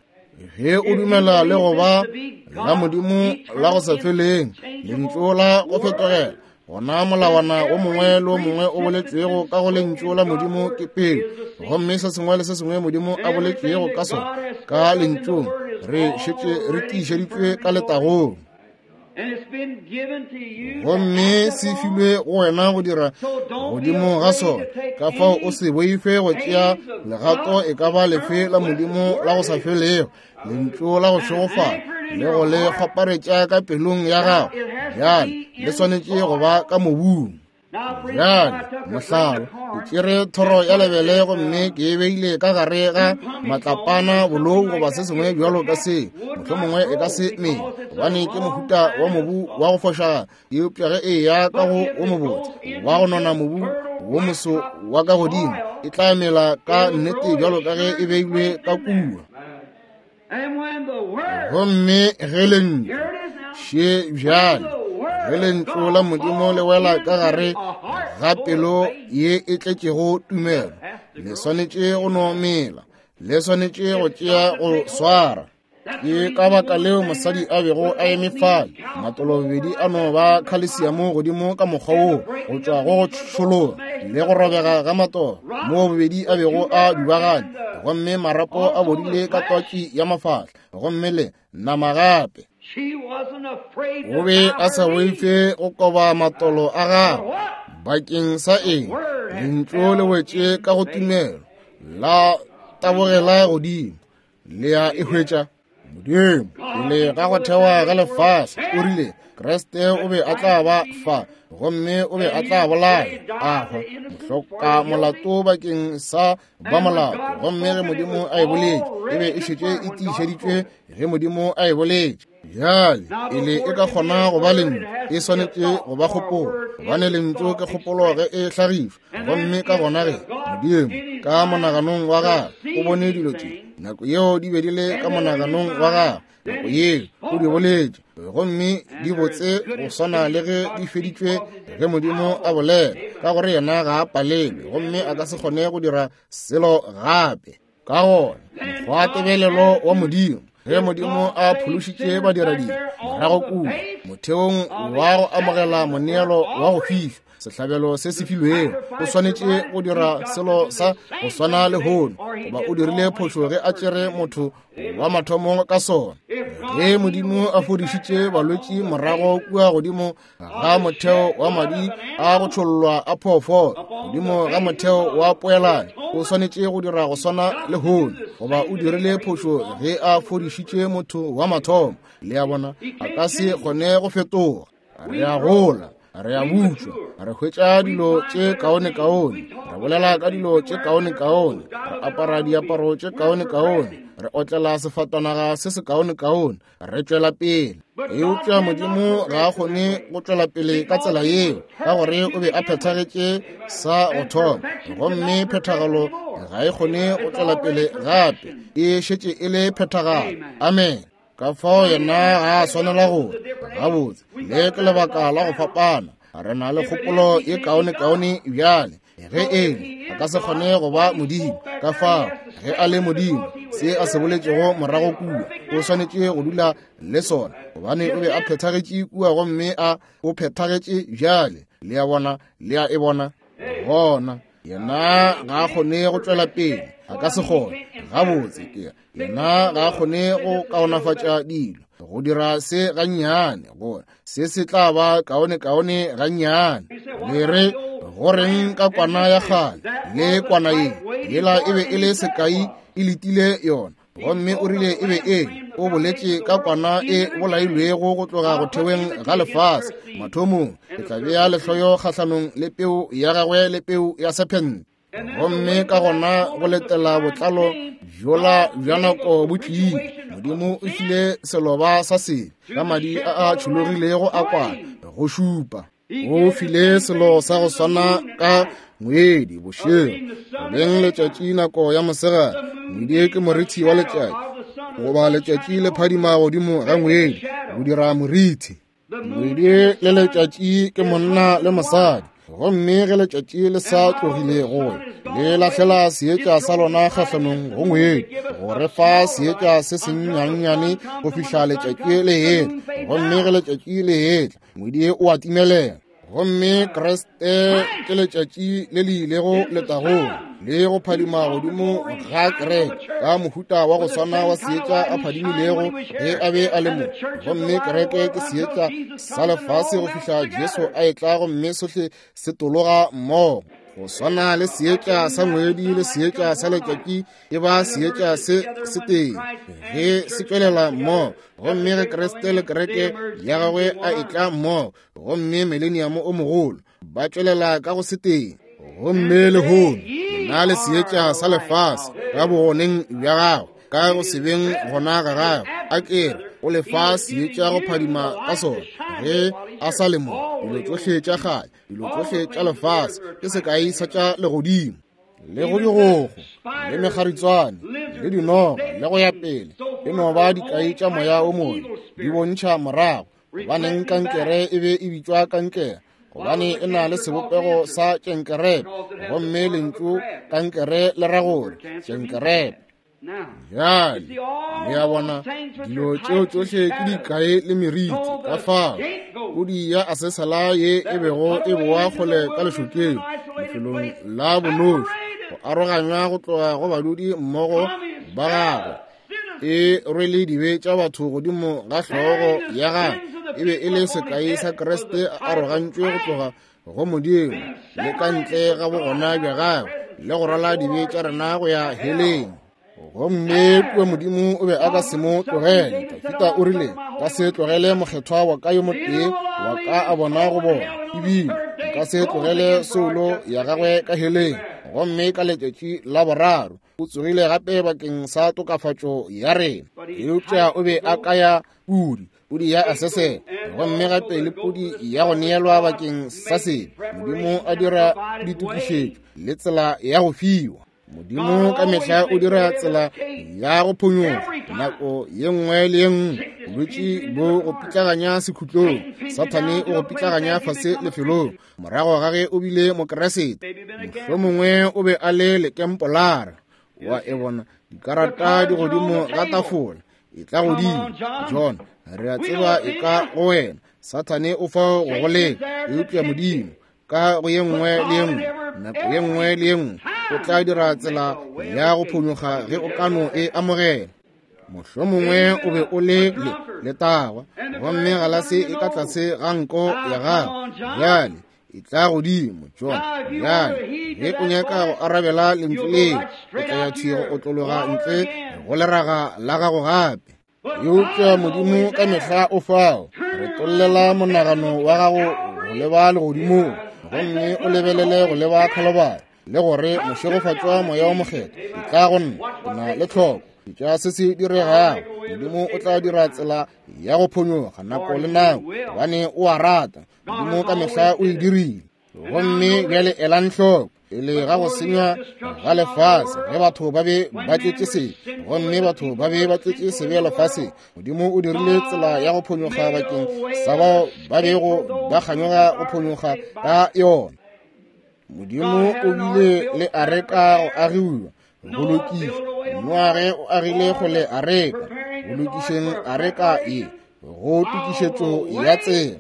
Ge o dumela le go ba la Modimo la go sa feleng, lentšu la go fetogela, gona molawana o mongwe le o mongwe o boletšwego ka go lentšu la Modimo ke pele, gomme se sengwe le se sengwe Modimo a boletšwego ka sona ka lentšung, re šetše re tiišeditšwe ka letagong. Gomme se filwe go wena go dira godimo ga sona. Ka fao o se boife go tšea legato e ka ba lefe la Modimo la go sa felego, lentšu la go šegofala, le go le kgwaparetša ka pelong ya gago. Bjale le swanetše go ba ka mobung. Bjale mohlala, ke tšere thoro ya lebele gomme ke e beile ka gare ga matlapana, bolou goba se sengwe bjalo ka se, mohlomongwe e ka se mele, gobane ke mohuta wa mobu wa go fošagala. Eupša ge e ya ka go o mobotse wa go nona mobu wo moso wa ka godimo, e tla mela ka nnete bjalo ka ge e beilwe ka kua. Gomme ge lentšu še bjale, ge lentšu la Modimo le wela ka gare ga pelo ye e tletšego tumelo, le swanetše go no mela, le swanetše go tšea go swara. Ke ka baka leo mosadi a bego a eme fale, matolobedi a no ba khalesiamo godimo ka mokgwa woo, go tšwa go go tšhologa le go robega ga matolo, moo bobedi a bego a dubagane, gomme marapo a bodile ka twatši ya mafahla, gomme le nama gape. O be a sa boife go koba matolo a gagwe. Bakeng sa eng? Lentšu le wetše ka go tumelo, la tabogela godimo. Le a e hwetša? Modimo pele ga go thewa ga lefase o rile Kriste o be a tla ba fa, gomme o be a tla bolaya a hwa, mohloka molato bakeng sa ba molato. Gomme ge Modimo a e boletše, e be e šetše e tiišeditšwe ge Modimo a e boletše. Bjale pele e ka kgona go ba lentšu, e swanetše go ba kgopolo, gobane lentšu ke kgopolo ge e hlagišwa. Gomme ka gona ge Modimo ka monaganong wa gagwe o bone dilo tše, nako yeo di be di le ka monaganong wa gagwe, nako yeo o di boletše, gomme di botse go swana le ge di feditšwe ge Modimo a bolela, ka gore yena ga a palelwe, gomme a ka se kgone go dira selo gape. Ka gona mokgwa tebelelo wa Modimo, ge Modimo a phološitše badiradibe morago kua motheong wa go amogela moneelo wa go fišwa, sehlabelo se se filwego, o swanetše go dira selo sa go swana lehono, goba o dirile phošo ge a tšere motho wa mathomo ka sona. Ge Modimo a fodišitše balwetši morago kua godimo ga motheo wa madi a go tšhollwa a phoofolo, godimo ga motheo wa poelano, o swanetše go dira go swana lehono, goba o dirile phošo ge a fodišitše motho wa mathomo. Le a bona, a ka se kgone go fetoga. Re a gola, re a butšwa, re hwetša dilo tše kaone-kaone, re bolela ka dilo tše kaone-kaone, re apara diaparo tše kaone-kaone, re otlela sefatanaga se se kaone-kaone, re tšwela pele. Eupša Modimo ga a kgone go tšwela pele ka tsela yeo, ka gore o be a phethagetše sa go thoma, gomme phethagalo ga e kgone go tšwela pele gape, e šetše e le phethagalo. Amen. Ka fao yena ga a swanela gore gabotse, le ke lebaka la go fapana. Re na le kgopolo ye kaone-kaone bjale. Ge ele a ka se kgone go ba Modimo, ka fao ge a le Modimo, se a se boletšego morago kua o swanetše go dula le sona, gobane o be a phethagetše kua, gomme a o phethagetše bjale. Le a bona? Le a e bona? Gona yena ga a kgone go tšwela pele, a ka se kgone. Gabotse ke yena ga a kgone go kaonafatša dilo, go dira se gannyane, gore se se tla ba kaonekaone gannyane. Le re, go reng ka kwana ya kgale le kwana ye? Yela e be e le sekai, e letile yona. Gomme o rile e be e, o boletše ka kwana e bolailwego go tloga go theweng ga lefase. Mathomong ke tla bea lehloyo kgahlanong le peu ya gagwe le peu ya sephente. Gomme ka gona go letela botlalo bjola bja nako bo tlile. Modimo o file seloba sa sebe ka madi a a tšhologilego a kwana go šupa. O file selo sa go swana ka ngwedi bošego, go beng letšatši nako ya mosegare. Ngwedi ke morithi wa letšatši, goba letšatši le phadima godimo ga ngwedi go dira morithi. Ngwedi le letšatši ke monna le mosadi. Gomme ge letšatši le sa tlogile go le lahlela seetša sa lona kgahlanong go ngwedi, go re fa seetša se sennyannyane go fihla letšatši le etla. Gomme ge letšatši le etla, ngwedi o a timelela. Gomme Kriste ke letšatši le le ilego letagong le go phadima godimo ga kereke ka mohuta wa go swana wa seetša a phadimilego ge a be a le mo. Gomme kereke ke seetša sa lefase go fihla Jesu a etla, gomme sohle se tologa mmogo. Go swana le seetša sa ngwedi le seetša sa letšatši e ba seetša se setee ge se tšwelela mmogo. Gomme ge Kriste le kereke ya gagwe a etla mmogo, gomme mileniamo o mogolo, ba tšwelela ka go setee. Gomme lehono na le seetša sa lefase ka bogoneng bja gagwe, ka go se beng gona ga gagwe. A kere o lefa seetša go phadima ka sona ge a sa le mo. Dilo tšohle tša kgale, dilo tšohle tša lefase ke sekai sa tša legodimo, le go digogo le mekgaritswane le dinoga le go ya pele, e no ba dikai tša moya o mobe, di bontšha morago. Gobaneng kankere e be e bitšwa kankere? Gobane e na le sebopego sa tšenkerepe, gomme lentšu kankere le ra gore tšenkerepe. Bjale le a bona, dilo tšeo tšohle ke dikai le meriti. Ka fao pudi ya asesala ye e bego e boa kgole ka lešokeng, lefelong la bonoši, go aroganywa go tloga go badudi mmogo ba gagwe, e rwele dibe tša batho godimo ga hlogo ya gagwe. E be e le sekai sa Kriste a arogantšwe go tloga go Modimo le ka ntle ga bogona bja gagwe, le go rwala dibe tša rena go ya heleng. Gomme kua Modimo o be a ka se mo tlogele. Dafida o rile, ka se tlogele mokgethwa wa ka yo motee wa ka a bona go bona, ebile nka se tlogele soulo ya gagwe ka heleng. Gomme ka letšatši la boraro o tsogile gape bakeng sa tokafatšo ya rena. Eupša o be a kaya pudi, pudi ya asesela, gomme gape le pudi ya go neelwa bakeng sa sebe. Modimo a dira ditokišetšo le tsela ya go fiwa. Modimo ka mehla o dira tsela ya go phonyoga nako ye nngwe le ye nngwe. Bolwetši bo go pitlaganya sekhutlong, Sathane o go pitlaganya fase lefelong morago ga ge o bile Mokeresete. Mohlomongwe o be a le lekempolara, wa e bona dikarata di godimo ga tafola, e tla godimo. John, re a tseba e ka go wena. Sathane o fao go go leka, eupša Modimo ka go ye nngwe le ye nngwe, nako ye nngwe le ye nngwe, o tla dira tsela ya go phonyoga ge o ka no e amogela. Mohlomongwe o be o le le letagwa, gomme galase e ka tlase ga nko ya gago. Bjale e tla godimo, John. Bjale ge o nyaka go arabela lentšu leo, o tla ya thwi go otlologa ntle go leraga la gago gape. Eupša Modimo ka mehla o fao. Re tollela monagano wa gago go leba legodimong, gomme o lebelele go leba Khalibari, le gore mošegofatšwa moya o mokgethwa e tla go nna. Ke na le tlhoko tša se se diregago. Modimo o tla dira tsela ya go phonyoga nako le nako, gobane o a rata. Modimo ka mehla o e dirile. Gomme bjale elang hloko, pele ga go senywa ga lefase, ge batho ba be ba tletše sebe, gomme batho ba be ba tletše sebe lefaseng, Modimo o dirile tsela ya go phonyoga bakeng sa bao ba bego ba kganyoga go phonyoga ka yona. Modimo o bile le areka go agiwa, go lokišwa. Noage o agile kgole areka, go lokišeng areka ye, go tokišetšo ya tsela.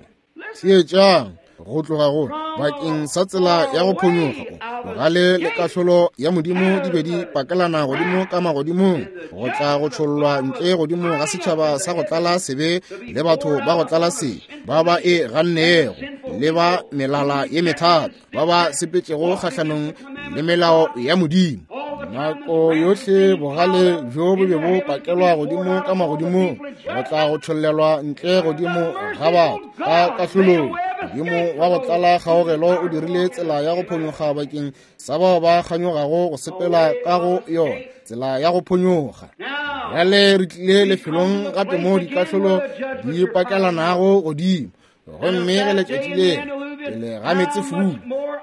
Theetšang, Go tloga go bakeng sa tsela ya go phonyokga, bogale le kahlolo ya Modimo di be di pakelana godimo ka magodimong, go tla go tšhollwa ntle godimo ga setšhaba sa go tlala sebe le batho ba go tlala sebe ba ba e gannego le ba melala ye methata ba ba sepetšego kgahlanong le melao ya Modimo. Nako yohle bogale bjo bo be bo pakelwa godimo ka magodimong, go tla go tšhollelwa ntle godimo ga batho ka kahlolong. Modimo wa go tlala kgaogelo o dirile tsela ya go phonyokga bakeng sa bao ba kganyogago go sepela ka go yona tsela ya go phonyokga. Bjale re tlile lefelong gape mo dikahlolo di pakelanago godimo, gomme ge letšatši le pele ga meetsefula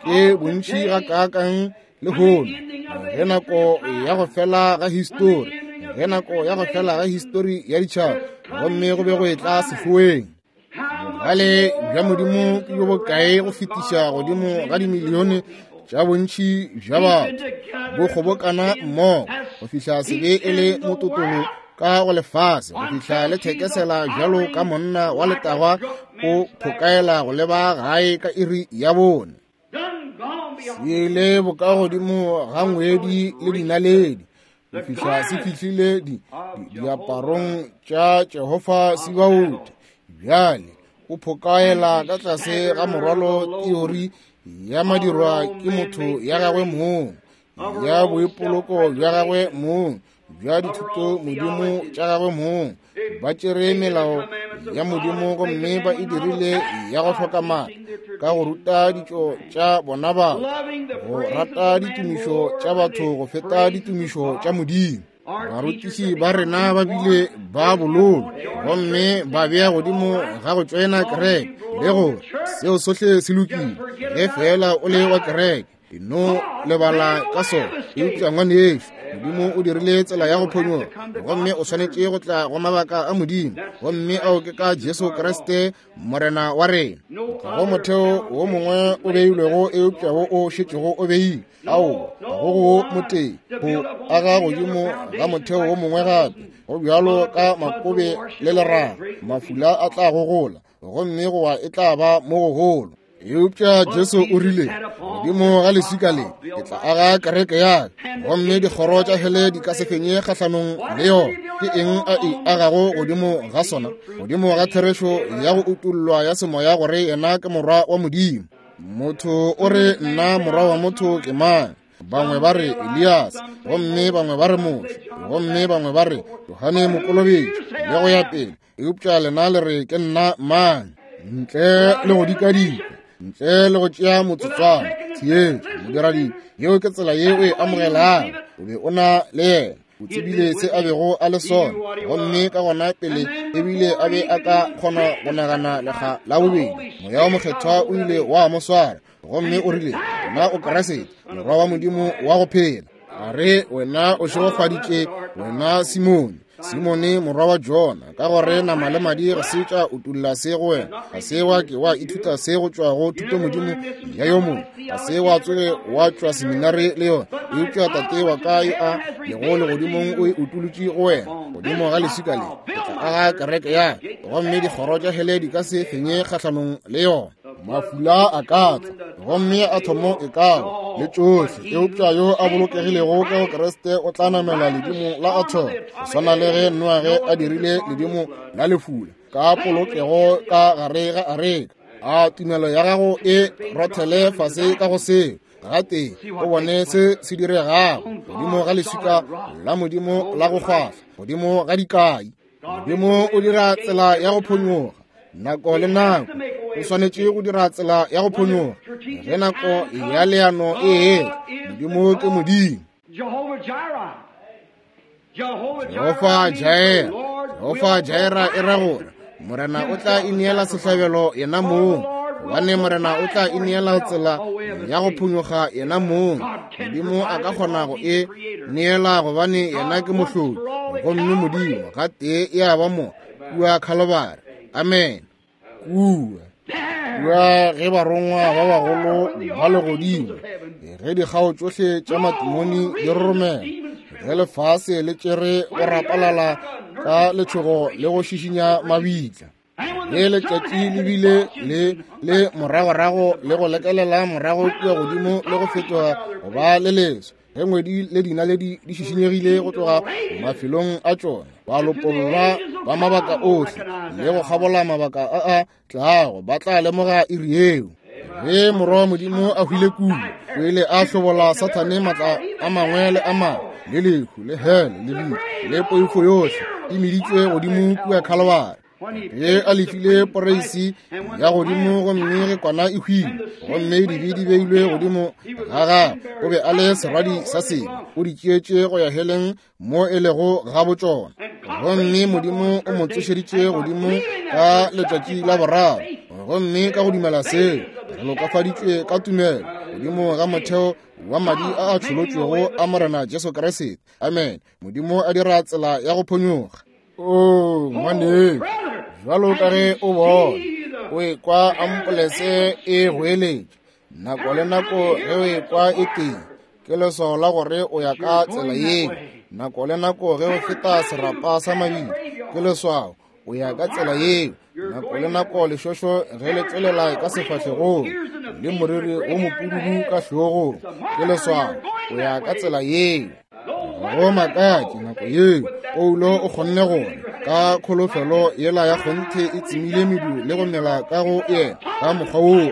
ke bontši gakaakang lehono, ge nako ya go fela ga histori, ge nako ya go fela ga histori ya ditšhaba, gomme go be go etla sehloeng. Bogale bja Modimo ke bjo bokae go fetiša godimo ga dimilione tša bontši bja batho bo kgobokana mmogo go fihla sebe e le mototolo ka go lefase, go fihla le thekesela bjalo ka monna wa letagwa o phokaela go leba gae ka iri ya bone. Se ile bokagodimo ga ngwedi le dinaledi go fihla se fihlile di, di, diaparong tša Jehofa Sebaote. Bjale o phokaela ka tlase ga morwalo teori ya madirwa ke motho ya gagwe mong, ya boipoloko bja gagwe mong, bja dithuto Modimo tša gagwe mong. Ba tšere melao ya Modimo gomme ba e dirile ya go hloka maatla ka go ruta ditšo tša bona batho, go rata ditumišo tša batho go feta ditumišo tša Modimo. Barutiši ba rena ba bile ba bololo gomme ba bea godimo ga go tšoena kereke le gore seo sohle se lokile ge fela o le wa kereke, no lebala ka sona. Eupša ngwanešu, Modimo o dirile tsela ya go phonyokga, gomme o swanetše go tla go mabaka a Modimo, gomme ao ke ka Jesu Kriste Morena wa rena. Ga go motheo wo mongwe o beilwego eupša wo o šetšego o beilwe. Ao, ga go go motee go aga godimo ga motheo wo mongwe gape, go bjalo ka makobe le leraga, mafula a tla gogola gomme go wa e tla ba mo gogolo. Eupša Jesu o rile, godimo ga leswika le ke tla aga kereke ya ka, gomme dikgoro tša hele di ka se fenye kgahlanong le yona. Ke eng a e agago godimo ga sona? Godimo ga therešo ya go utollwa ya semoya gore yena ke morwa wa Modimo. Motho o re, nna morwa wa motho ke mang? Bangwe ba re Elias, gomme bangwe ba re Moshe, gomme bangwe ba re Johane Mokolobetši, le go ya pele. Eupša lena le re ke nna mang? Ntle le go dikadika, ntle le go tšea motsotswana, theetša modiradibe. Yeo ke tsela ye o e amogelago. O be o na le yena, o tsebile se a bego a le sona, gomme ka gona pele ebile a be a ka kgona go nagana lekga la bobedi, Moya wo Mokgethwa o ile wa mo swara, gomme o rile, wena o Kriste, morwa wa Modimo wa go phela. A re, wena o šegofaditše, wena Simone, Simone morwa wa Jona, ka gore nama le madi ga se tša utolla se go wena, ga se wa ke wa ithuta se go tšwa go thuto Modimo ya yo mongwe, ga se wa tsoge wa tšwa seminari le yona, eupša Tate wa ka yo a lego legodimong o e utolotše go wena. Godimo ga leswika le ke tla aga kereke ya ka, gomme dikgoro tša hele di ka se fenye kgahlanong le yona. Mafula a ka tla gomme a thomo e ka le tšohle, eupša yo a bolokegilego ka go Kriste o tla namela ledimo la athomo, go swana le ge Noage a dirile ledimo la lefula ka polokego ka gare ga areka. A tumelo ya gago e rothele fase ka go seo gatee, o bone se se diregago godimo ga leswika la Modimo la go kgwahla, godimo ga dikai. Modimo o dira tsela ya go phonyokga nako le nako. O swanetše go dira tsela ya go phonyokga ge nako ya leano e etla. Modimo ke Modimo. Jehofa Jaira, Jehofa Jaira e ra gore Morena o tla ineela sehlabelo yena mong, gobane Morena o tla ineela tsela ya go phonyokga yena mong. Modimo a ka kgona go e neela gobane yena ke mohlodi, gomme Modimo gatee e a ba mo kua Khalobare. Amen. Kua kua ge barongwa ba bagolo ba legodimo, ge dikgao tšohle tša matimoni di roromela, ge lefase le tšere go rapalala ka letšhogo le go šišinya mabitla, Ge letšatši le bile le le moragorago le go lekelela morago kua godimo le go fetoga go ba le leso, ge ngwedi le dinaledi di šišinyegile go tloga mafelong a tšona, ba lopollwa ba mabaka ohle le go kgabola mabaka a a tlago, ba tla lemoga iri yeo. Ge morwa wa Modimo a hwile kudu, o ile a hlobola Sathane matla a mangwe le a mangwe, le lehu, le hele, le lehu, le poifo yohle e meditšwe godimo kua Khalibari. Ge a lefile poreisi ya godimo, gomme ge kwana e hwile, gomme dibe di beilwe godimo ga gagwe, o be a le serwadi sa sebe, o di tšeetše go ya heleng mo e lego ga botšona. Gomme Modimo o mo tsošeditše godimo ka letšatši la boraro, gomme ka go dumela seo re lokafaditšwe ka tumelo godimo ga motheo wa madi a a tšholotšwego a Morena Jesu Kriste. Amen. Modimo a dira tsela ya go phonyokga. O ngwane, jwalo ka ge o bona o ekwa ampolese e goeletša nako le nako, ge o ekwa e teng ke leswao la gore o ya ka tsela yeo. Nako le nako ge o feta serapa sa mabili ke leswao o ya ka tsela yeo. Nako le nako lešošo ge le tšwelela ka sefahlegong le moriri wo mopududu ka hlogong ke leswao o ya ka tsela yeo. Go makatše nako yeo Paulo o kgonne gore ka kholofelo yela ya kgonthe e tsemile medu le go mela ka go yena ka mokgwa woo.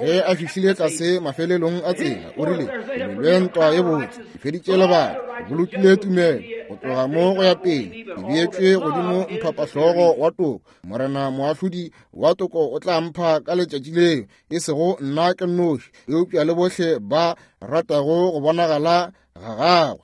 Ge a fihlile tlase mafelelong a tsela, o rile, ke lwele ntwa ye botse, ke feditše lebaka, ke bolokile tumelo, go tloga mo go ya pele ke beetšwe godimo mphapahlogo wa toko. Morena moahlodi wa toko o tla mpha ka letšatši leo, e sego nna ke nnoši, eupša le bohle ba ratago go bonagala ga gagwe.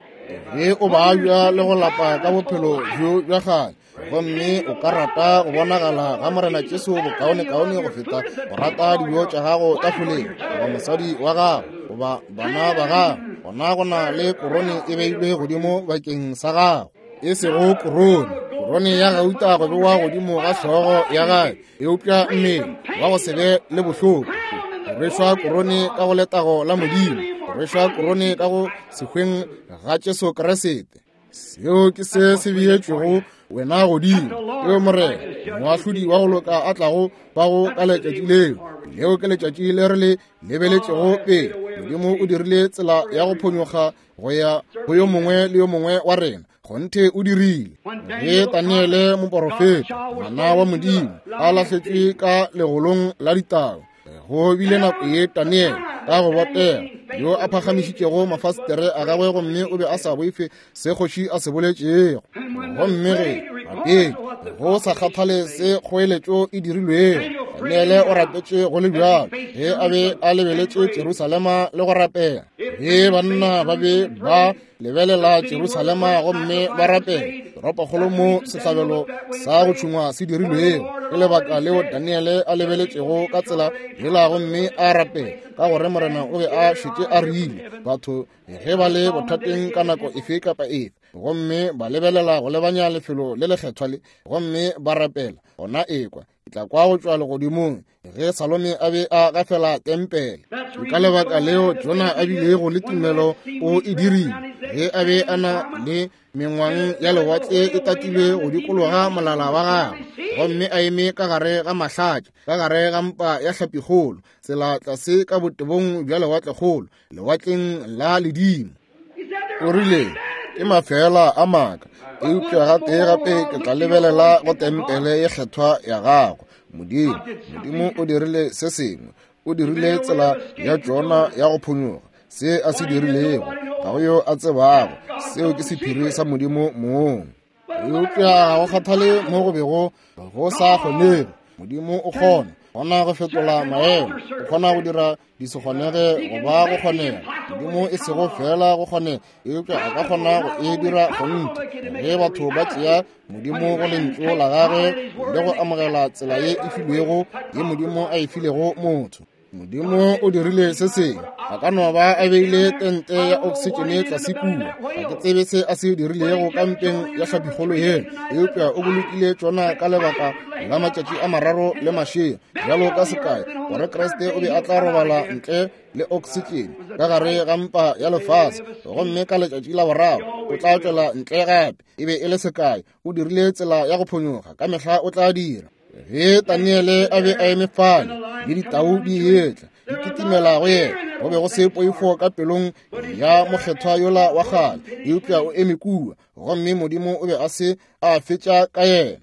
Ge o babja le go lapa ka bophelo bjo bja kgale, gomme o ka rata go bonagala ga Morena Jesu bokaonekaone go feta go rata dijo tša gago tafoleng, goba mosadi wa gago, goba bana ba gago, gona go na le korone e beilwe godimo bakeng sa gago, e sego korone, korone ya gauta go bewa godimo ga hlogo ya gae, eupša mmele wa go se be le bohloko. Go rwešwa korone ka go letago la Modimo, go rwešwa korone ka go sehweng ga Jesu Kriste. Seo ke se se beetšwego wena godimo, eo Morena moahlodi wa go loka a tlago bago ka letšatši leo. Leo ke letšatši le re le lebeletšego pele. Modimo o dirile tsela ya go phonyokga go ya go yo mongwe le yo mongwe wa rena. Kgonthe o dirile. Ge Daniele moporofeta, ngwana wa Modimo, a lahletšwe ka legolong la ditau, go bile nako ye Daniele ka go botega yo a phagamišitšego mafastere a gagwe, gomme o be a sa boife se kgoši a se boletšego. Gomme ge gapedi go sa kgathale se kgoeletšo e dirilwego, Daniele o rapetše go le bjalo ge a be a lebeletše Jerusalema le go rapela. Ge banna ba be ba lebelela Jerusalema gomme ba rapela, toropokgolo mo sehlabelo sa go tšhungwa se dirilwego, ke lebaka leo Daniele a lebeletšego ka tsela yela gomme a rapela, ka gore Morena o be a šetše a rile batho ge ba le bothateng ka nako efe kapa efe, gomme ba lebelela go lebanya lefelo le lekgethwa le gomme ba rapela, gona ekwa ke tla kwa go tšwa legodimong ge Salome a be a gafela tempele. Ke ka lebaka leo Jona a bilego le tumelo o e dirile ge a be a na le mengwang ya lewatle e tatilwe go dikologa molala wa gagwe, gomme a eme ka gare ga mahlatša, ka gare ga mpa ya hlapikgolo, tsela tlase ka botebong bja lewatlekgolo, lewatleng la ledimo. O rile, ke mafela a maaka, eupša gatee gape ke tla lebelela go tempele ye kgethwa ya gago. Modimo, Modimo o dirile se sengwe, o dirile tsela ya Jona ya go phonyokga. Se a se dirilego ga go yo a tsebago, seo ke sephiri sa Modimo mong. Eupša ga go kgathale mo go bego go sa kgonege, Modimo o kgona gona go fetola maemo, o kgona go dira di se kgonege go ba go kgonega. Modimo e sego fela go kgonega, eupša a ka kgona go e dira kgonthe. Ge batho ba tšea Modimo go lentšu la gagwe le go amogela tsela ye e filwego ye Modimo a e filego motho. Modimo o dirile se sengwe. A ka no ba a beile tente ya oksitšene tlase kua. Ga ke tsebe se a se dirilego ka mpeng ya hlapikgolo yela, eupša o bolokile tšona ka lebaka la matšatši a mararo le mašego, bjalo ka sekai gore Kriste o be a tla robala ntle le oksitšene ka gare ga mpa ya lefase, gomme ka letšatši la boraro o tla tšwela ntle gape. E be e le sekai. O dirile tsela ya go phonyokga, ka mehla o tla dira. Ge Daniele a be a eme fale le ditau di etla di kitimela go yena, go be go se poifo ka pelong ya mokgethwa yola wa kgale, eupša o eme kua, gomme Modimo o be a se a fetša ka yena.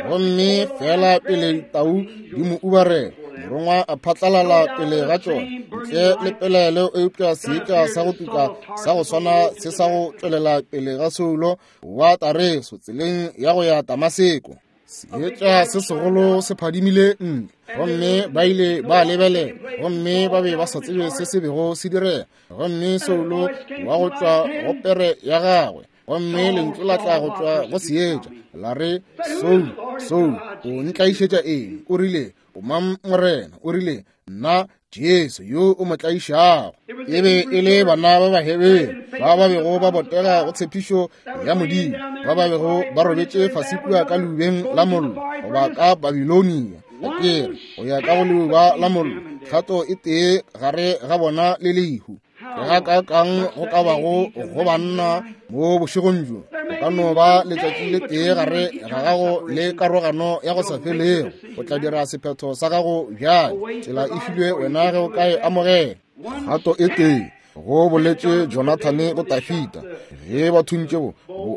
Gomme fela pele ditau di mo ubarela, morongwa a phatlalala pele ga tšona ntle le pelaelo, eupša seetša sa go tuka sa go swana se sa go tšwelela pele ga Saulo wa Tareso tseleng ya go ya Damaseko. Seetša se segolo se phadimile ntle, gomme ba ile ba lebelela, gomme ba be ba sa tsebe se se bego se direga. Gomme Saulo wa go tšwa go pere ya gagwe, gomme lentšu la tla go tšwa go seetša la re, Saulo, Saulo, o ntlaišetša eng? O rile, o mang Morena? O rile, nna Jesu yo o mo tlaišago. E be e le bana ba Bahebere ba ba bego ba botega go tshepišo ya Modimo, ba ba bego ba robetše fase kua ka leubeng la mollo goba ka Babilonia, akere go ya ka go leuba la mollo, kgato e tee gare ga bona le lehu. Ke ga kakang go ka bago go banna mo bošegong bjo, go ka no ba letšatši le tee gare ga gago le karogano ya go sa felego. O tla dira sephetho sa gago bjale, tsela e filwe wena ge o ka e amogela. Kgato e tee, go boletše Jonathane go Dafita ge ba thuntše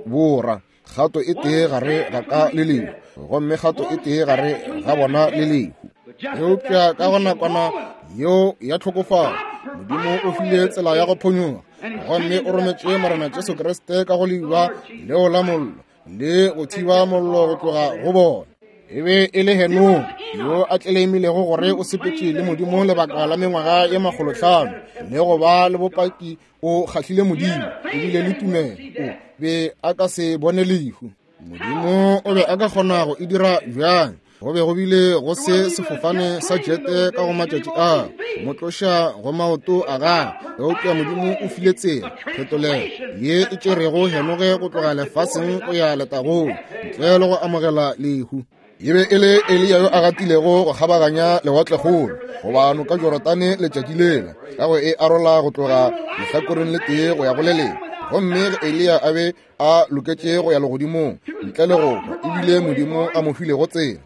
bora, kgato e tee gare ga ka le lehu, gomme kgato e tee gare ga bona le lehu. Eupša ka go nakwana yeo ya tlhokofalo, Modimo o file tsela ya go phonyoga, gomme o rometše Morena Jesu Kriste ka go leuba leo la mollo le go thiba mollo go tloga go bona. E be e le Henoge yo a tleleimilego gore o sepetše le Modimo lebaka la mengwaga ye makgolohlano, le go ba le bopaki o kgahlile Modimo, ebile le tumelo, o be a ka se bone lehu. Modimo o be a ka kgona go e dira bjang? Go be go bile go se sefofane sa jete ka go matšatši a mo tloša go maoto a gagwe, eupša Modimo o file tsela, phetolelo ye e tšerego Henoge go tloga lefaseng go ya letagong ntle le go amogela lehu. E be e le Eliya yo a gatilego go kgabaganya lewatlekgolo goba noka Jorodane letšatši lela, ka go e arola go tloga lehlakoreng le tee go ya go le lengwe. Gomme ge Eliya a be a loketše go ya legodimong ntle le go hwa, ebile Modimo a mo filego tsela,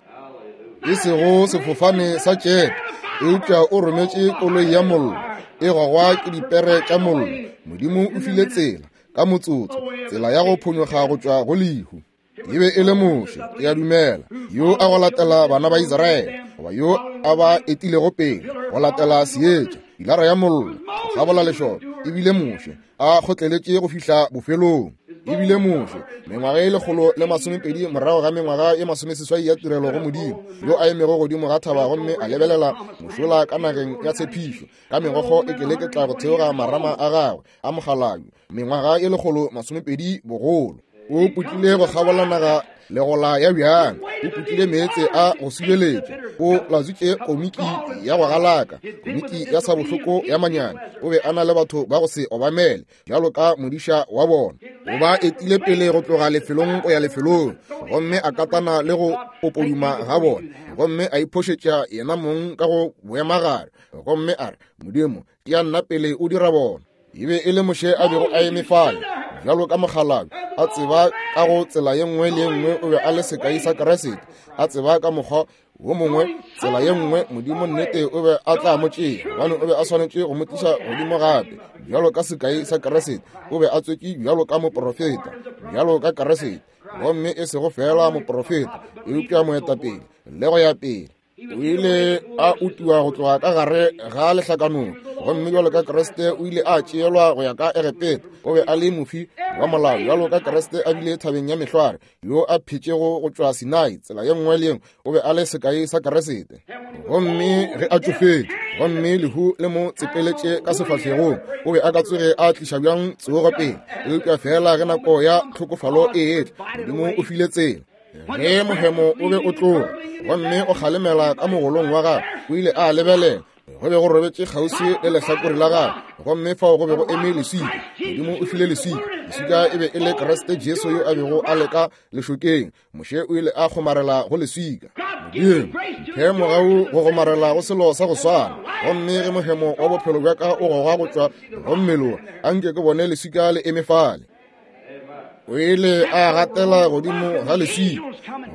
e sego sefofane sa tšepe, eupša o rometše koloi ya mollo e gogwa ke dipere tša mollo. Modimo o file tsela ka motsotso, tsela ya go phonyoga go tšwa go lehu. E be e le Moshe, ke a dumela, yo a go latela bana ba Israele, goba yo a ba etilego pele go latela seetša, pilara ya mollo go kgabola lešoka. Ebile Moshe a kgotleletše go fihla bofelong. Ebile Moshe mengwaga e lekgolo le masomepedi morago ga mengwaga e masomeseswai ya tirelo go Modimo, yo a emego godimo ga thaba gomme a lebelela mošola ka nageng ya tshepišo, ka megokgo e keleketla go theoga marama a gagwe a mogalabi, mengwaga e lekgolo masomepedi bogolo. O putlile go kgabola naga legola ya bjang, o putlile meetse a go subeletša, o latswitše komiki ya go galaka, komiki ya sabohloko ya manyane. O be a na le batho ba go se obamele bjalo ka modiša wa bona. O ba etile pele go tloga lefelong go ya lefelong, gomme a katana le go popoduma ga bona, gomme a iphošetša yena mong ka go boemagare, gomme a re, Modimo, ke ya nna pele o dira bona. E be e le Moshe a bego a eme fale bjalo ka mokgalabje, a tseba ka go tsela ye nngwe le ye nngwe o be a le sekai sa Kriste, a tseba ka mokgwa wo mongwe tsela ye nngwe Modimo nnete o be a tla mo tšea, gobane o be a swanetše go mo tliša godimo gape bjalo ka sekai sa Kriste. O be a tswetše bjalo ka moprofeta, bjalo ka Kriste, gomme e sego fela moprofeta, eupša moetapele le go ya pele. O ile a utiwa go tloga ka gare ga lehlakanong, gomme bjalo ka Kriste o ile a tšeelwa go ya ka Egepeta. O be a le mofi wa molao bjalo ka Kriste a bile thabeng ya mehlware, yo a phetšego go tšwa Sinai tsela ye nngwe le ye nngwe. O be a le sekai sa Kriste. Gomme ge a tšofetše, gomme lehu le mo tsepeletše ka sefahlegong, o be a ka tsoge a tliša bjang tsogo pele? Eupša fela ge nako ya tlhokofalo e etla, Modimo o file tsela. Ge mohemo o be o tloga gomme o kgalemela ka mogolong wa gagwe, o ile a lebelela, go be go robetše kgauswi le lehlakore la gagwe, gomme fao go be go eme leswika. Modimo o file leswika. Leswika e be e le Kriste Jesu yo a bego a le ka lešokeng. Moshe o ile a kgomarela go leswika. Modimo mphe mogau go kgomarela go selo sa go swana, gomme ge mohemo wa bophelo bja ka o gogwa go tšwa go mmele, anke ke bone leswika le eme fale. O ile a gatela godimo ga leswika,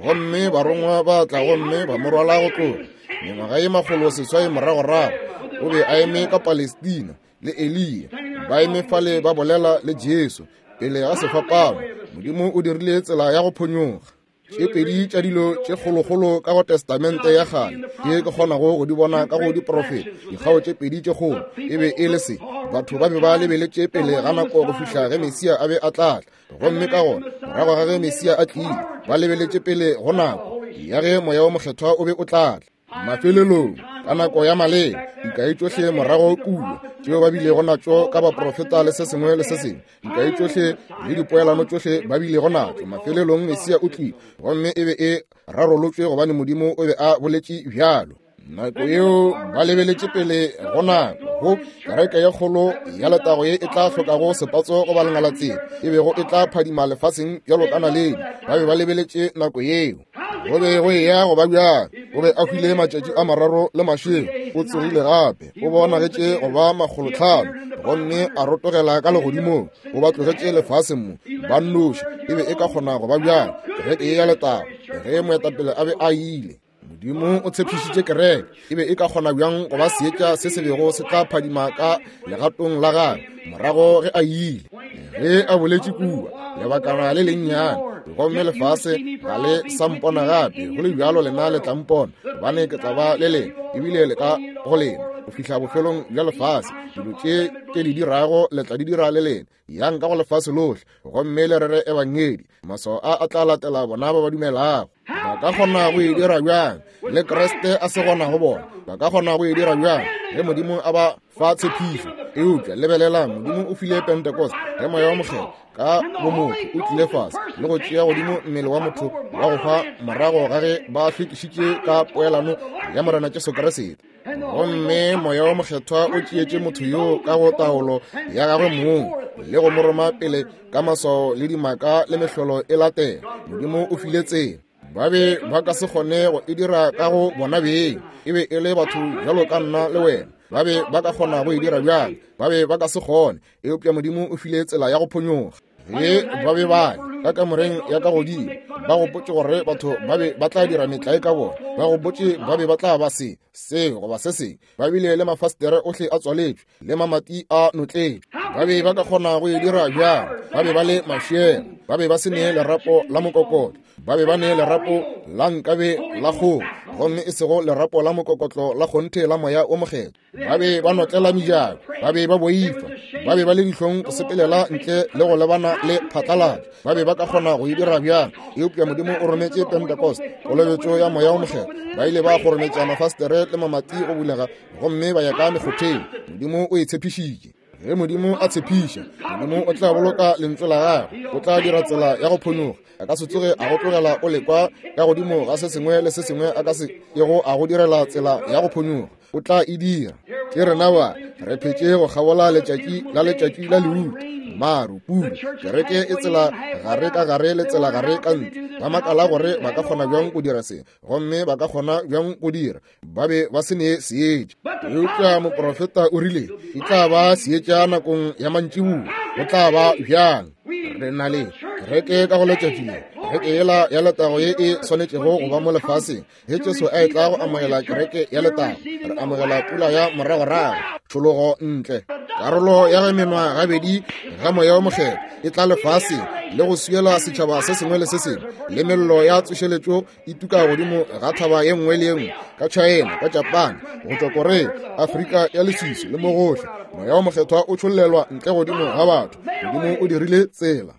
Gomme barongwa ba tla gomme ba mo rwala go tloga. Mengwaga ye makgolo seswai moragorago, o be a eme ka Palestina le Eliya, ba eme fale ba bolela le Jesu pele ga sefapano. Modimo o dirile tsela ya go phonyoga. Tše pedi tša dilo tše kgolokgolo ka go Testamente ya kgale tše ke kgonago go di bona ka go diprofeta, dikgao tše pedi tše kgolo, e be e le se: batho ba be ba lebeletše pele ga nako go fihla ge Mesia a be a tla tla, gomme ka gona morago ga ge Mesia a tlile, ba lebeletše pele go nako ya ge Moya wo Mokgethwa o be o tla tla. Mafelelong, ka nako ya maleba, dikai tšohle morago kua tšeo ba bilego natšo ka baprofeta le se sengwe le se sengwe, dikai tšohle le dipoelano tšohle ba bilego natšo, mafelelong Mesia o tlile, gomme e be e rarolotšwe gobane Modimo o be a boletše bjalo. Nako yeo ba lebeletše pele go nako go kereke ye kgolo ya letago ye e tla hlokago sepatso goba lengalatsela, e bego e tla phadima lefaseng bjalo ka naledi. Ba be ba lebeletše nako yeo. Go be go eya go ba bjang? O be a hwile matšatši a mararo le mašego, o tsogile gape, o bonagetše go ba makgolotlhano, gomme a rotogela ka legodimong. O ba tlogetše lefaseng mo ba nnoši. E be e ka kgona go ba bjang kereke ye ya letago ge moetapele a be a ile? Modimo o tshepišitše kereke. E be e ka kgona bjang go ba seetša se se bego se tla phadima ka legatong la gagwe morago ge a ile? Ge a boletše kua lebakana le lennyane, gomme lefase ga le sa mpona gape, go le bjalo lena le tla mpona, gobane ke tla ba le lena, ebile le ka go lena go fihla bofelong bja lefase. Dilo tše ke di dirago le tla di dira le lena. Yang ka go lefase lohle gomme le rere ebangedi. Maswao a a tla latela bona ba ba dumelago. Ba ka kgona go e dira bjang le Kriste a se gona go bona? Ba ka kgona go e dira bjang ge Modimo a ba fa tshepišo? Eupša lebelelang, Modimo o file Pentecost ge Moya wa Mokgethwa ka bomotho o tlile fase le go tšea godimo mmele wa motho wa go hwa morago ga ge ba hlwekišitše ka poelano ya Morena Jesu Kriste. Gomme Moya wa Mokgethwa o tšeetše motho yoo ka go taolo ya gagwe mong le go mo roma pele ka maswao le dimaka le mehlolo e latela. Modimo o file tsela. Ba be ba ka se kgone go e dira ka go bona beng. E be e le batho bjalo ka nna le wena. Ba be ba ka kgona go e dira bjang? Ba be ba ka se kgone. Eupša Modimo o file tsela ya go phonyoga. Ge ba be ba le ka kamoreng ya ka godimo, ba gopotše gore batho ba be ba tla dira metlae ka bona, ba gopotše ba be ba tla ba se se goba se sengwe. Ba bile le mafastere ohle a tswaletšwe le mamati a notletšwe. Ba be ba ka kgona go e dira bjang? Ba be ba le mašela, ba be ba se ne lerapo la mokokotlo, ba be ba ne lerapo la nkabe la kgomo, gomme e sego lerapo la mokokotlo la kgonthe la Moya o Mokgethwa. Ba be ba notlela mejako, ba be ba boifa, ba be ba le dihlong go sepelela ntle le go lebana le phatlalatšo. Ba be ba ka kgona go e dira bjang? Eupša Modimo o rometše Pentecost, kolobetšo ya Moya o Mokgethwa. Ba ile ba kgorometša mafastere le mamati go bulega, gomme ba ya ka mekgotheng. Modimo o e tshepišitše. Ge Modimo a tshepiša, Modimo o tla boloka lentswe la gagwe, o tla dira tsela ya go phonyoga. A ka se tsoge a go tlogela o lekwa ka godimo ga se sengwe le se sengwe a ka se kego a go direla tsela ya go phonyoga. O tla e dira. Ke rena ba re phetše go kgabola letšatši la letšatši la leuta, maru, pula. Kereke e tsela gare ka gare le tsela gare ka ntle. Ba makala gore ba ka kgona bjang go dira se, gomme ba ka kgona bjang go dira. Ba be ba se ne seetša. Eupša moprofeta o rile e tla ba seetša nakong ya mantšiboa. Go tla ba bjang? Re na le kereke ka go letšatši le, kereke yela ya letago ye e swanetšego go ba mo lefaseng. Ge Jesu a etla go amogela kereke ya letago, re amogela pula ya moragorago, tšhologo ntle. Karolo ya ge menwa gabedi ga Moya o Mokgethwa e tla lefaseng le go swiela setšhaba se sengwe le se sengwe, le mello ya tsošeletšo e tuka godimo ga thaba ye nngwe le ye nngwe, ka China, ka Japan, go tšwa Korea, Afrika ya leswiswi le mo gohle. Moya o Mokgethwa o tšhollelwa ntle godimo ga batho. Modimo o dirile tsela.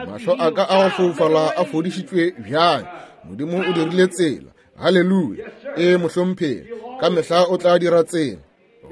Mahlo a ka a go foufala a fodišitšwe bjang? Modimo o dirile tsela. Haleluya. E mohlomphegi, ka mehla o tla dira tsela.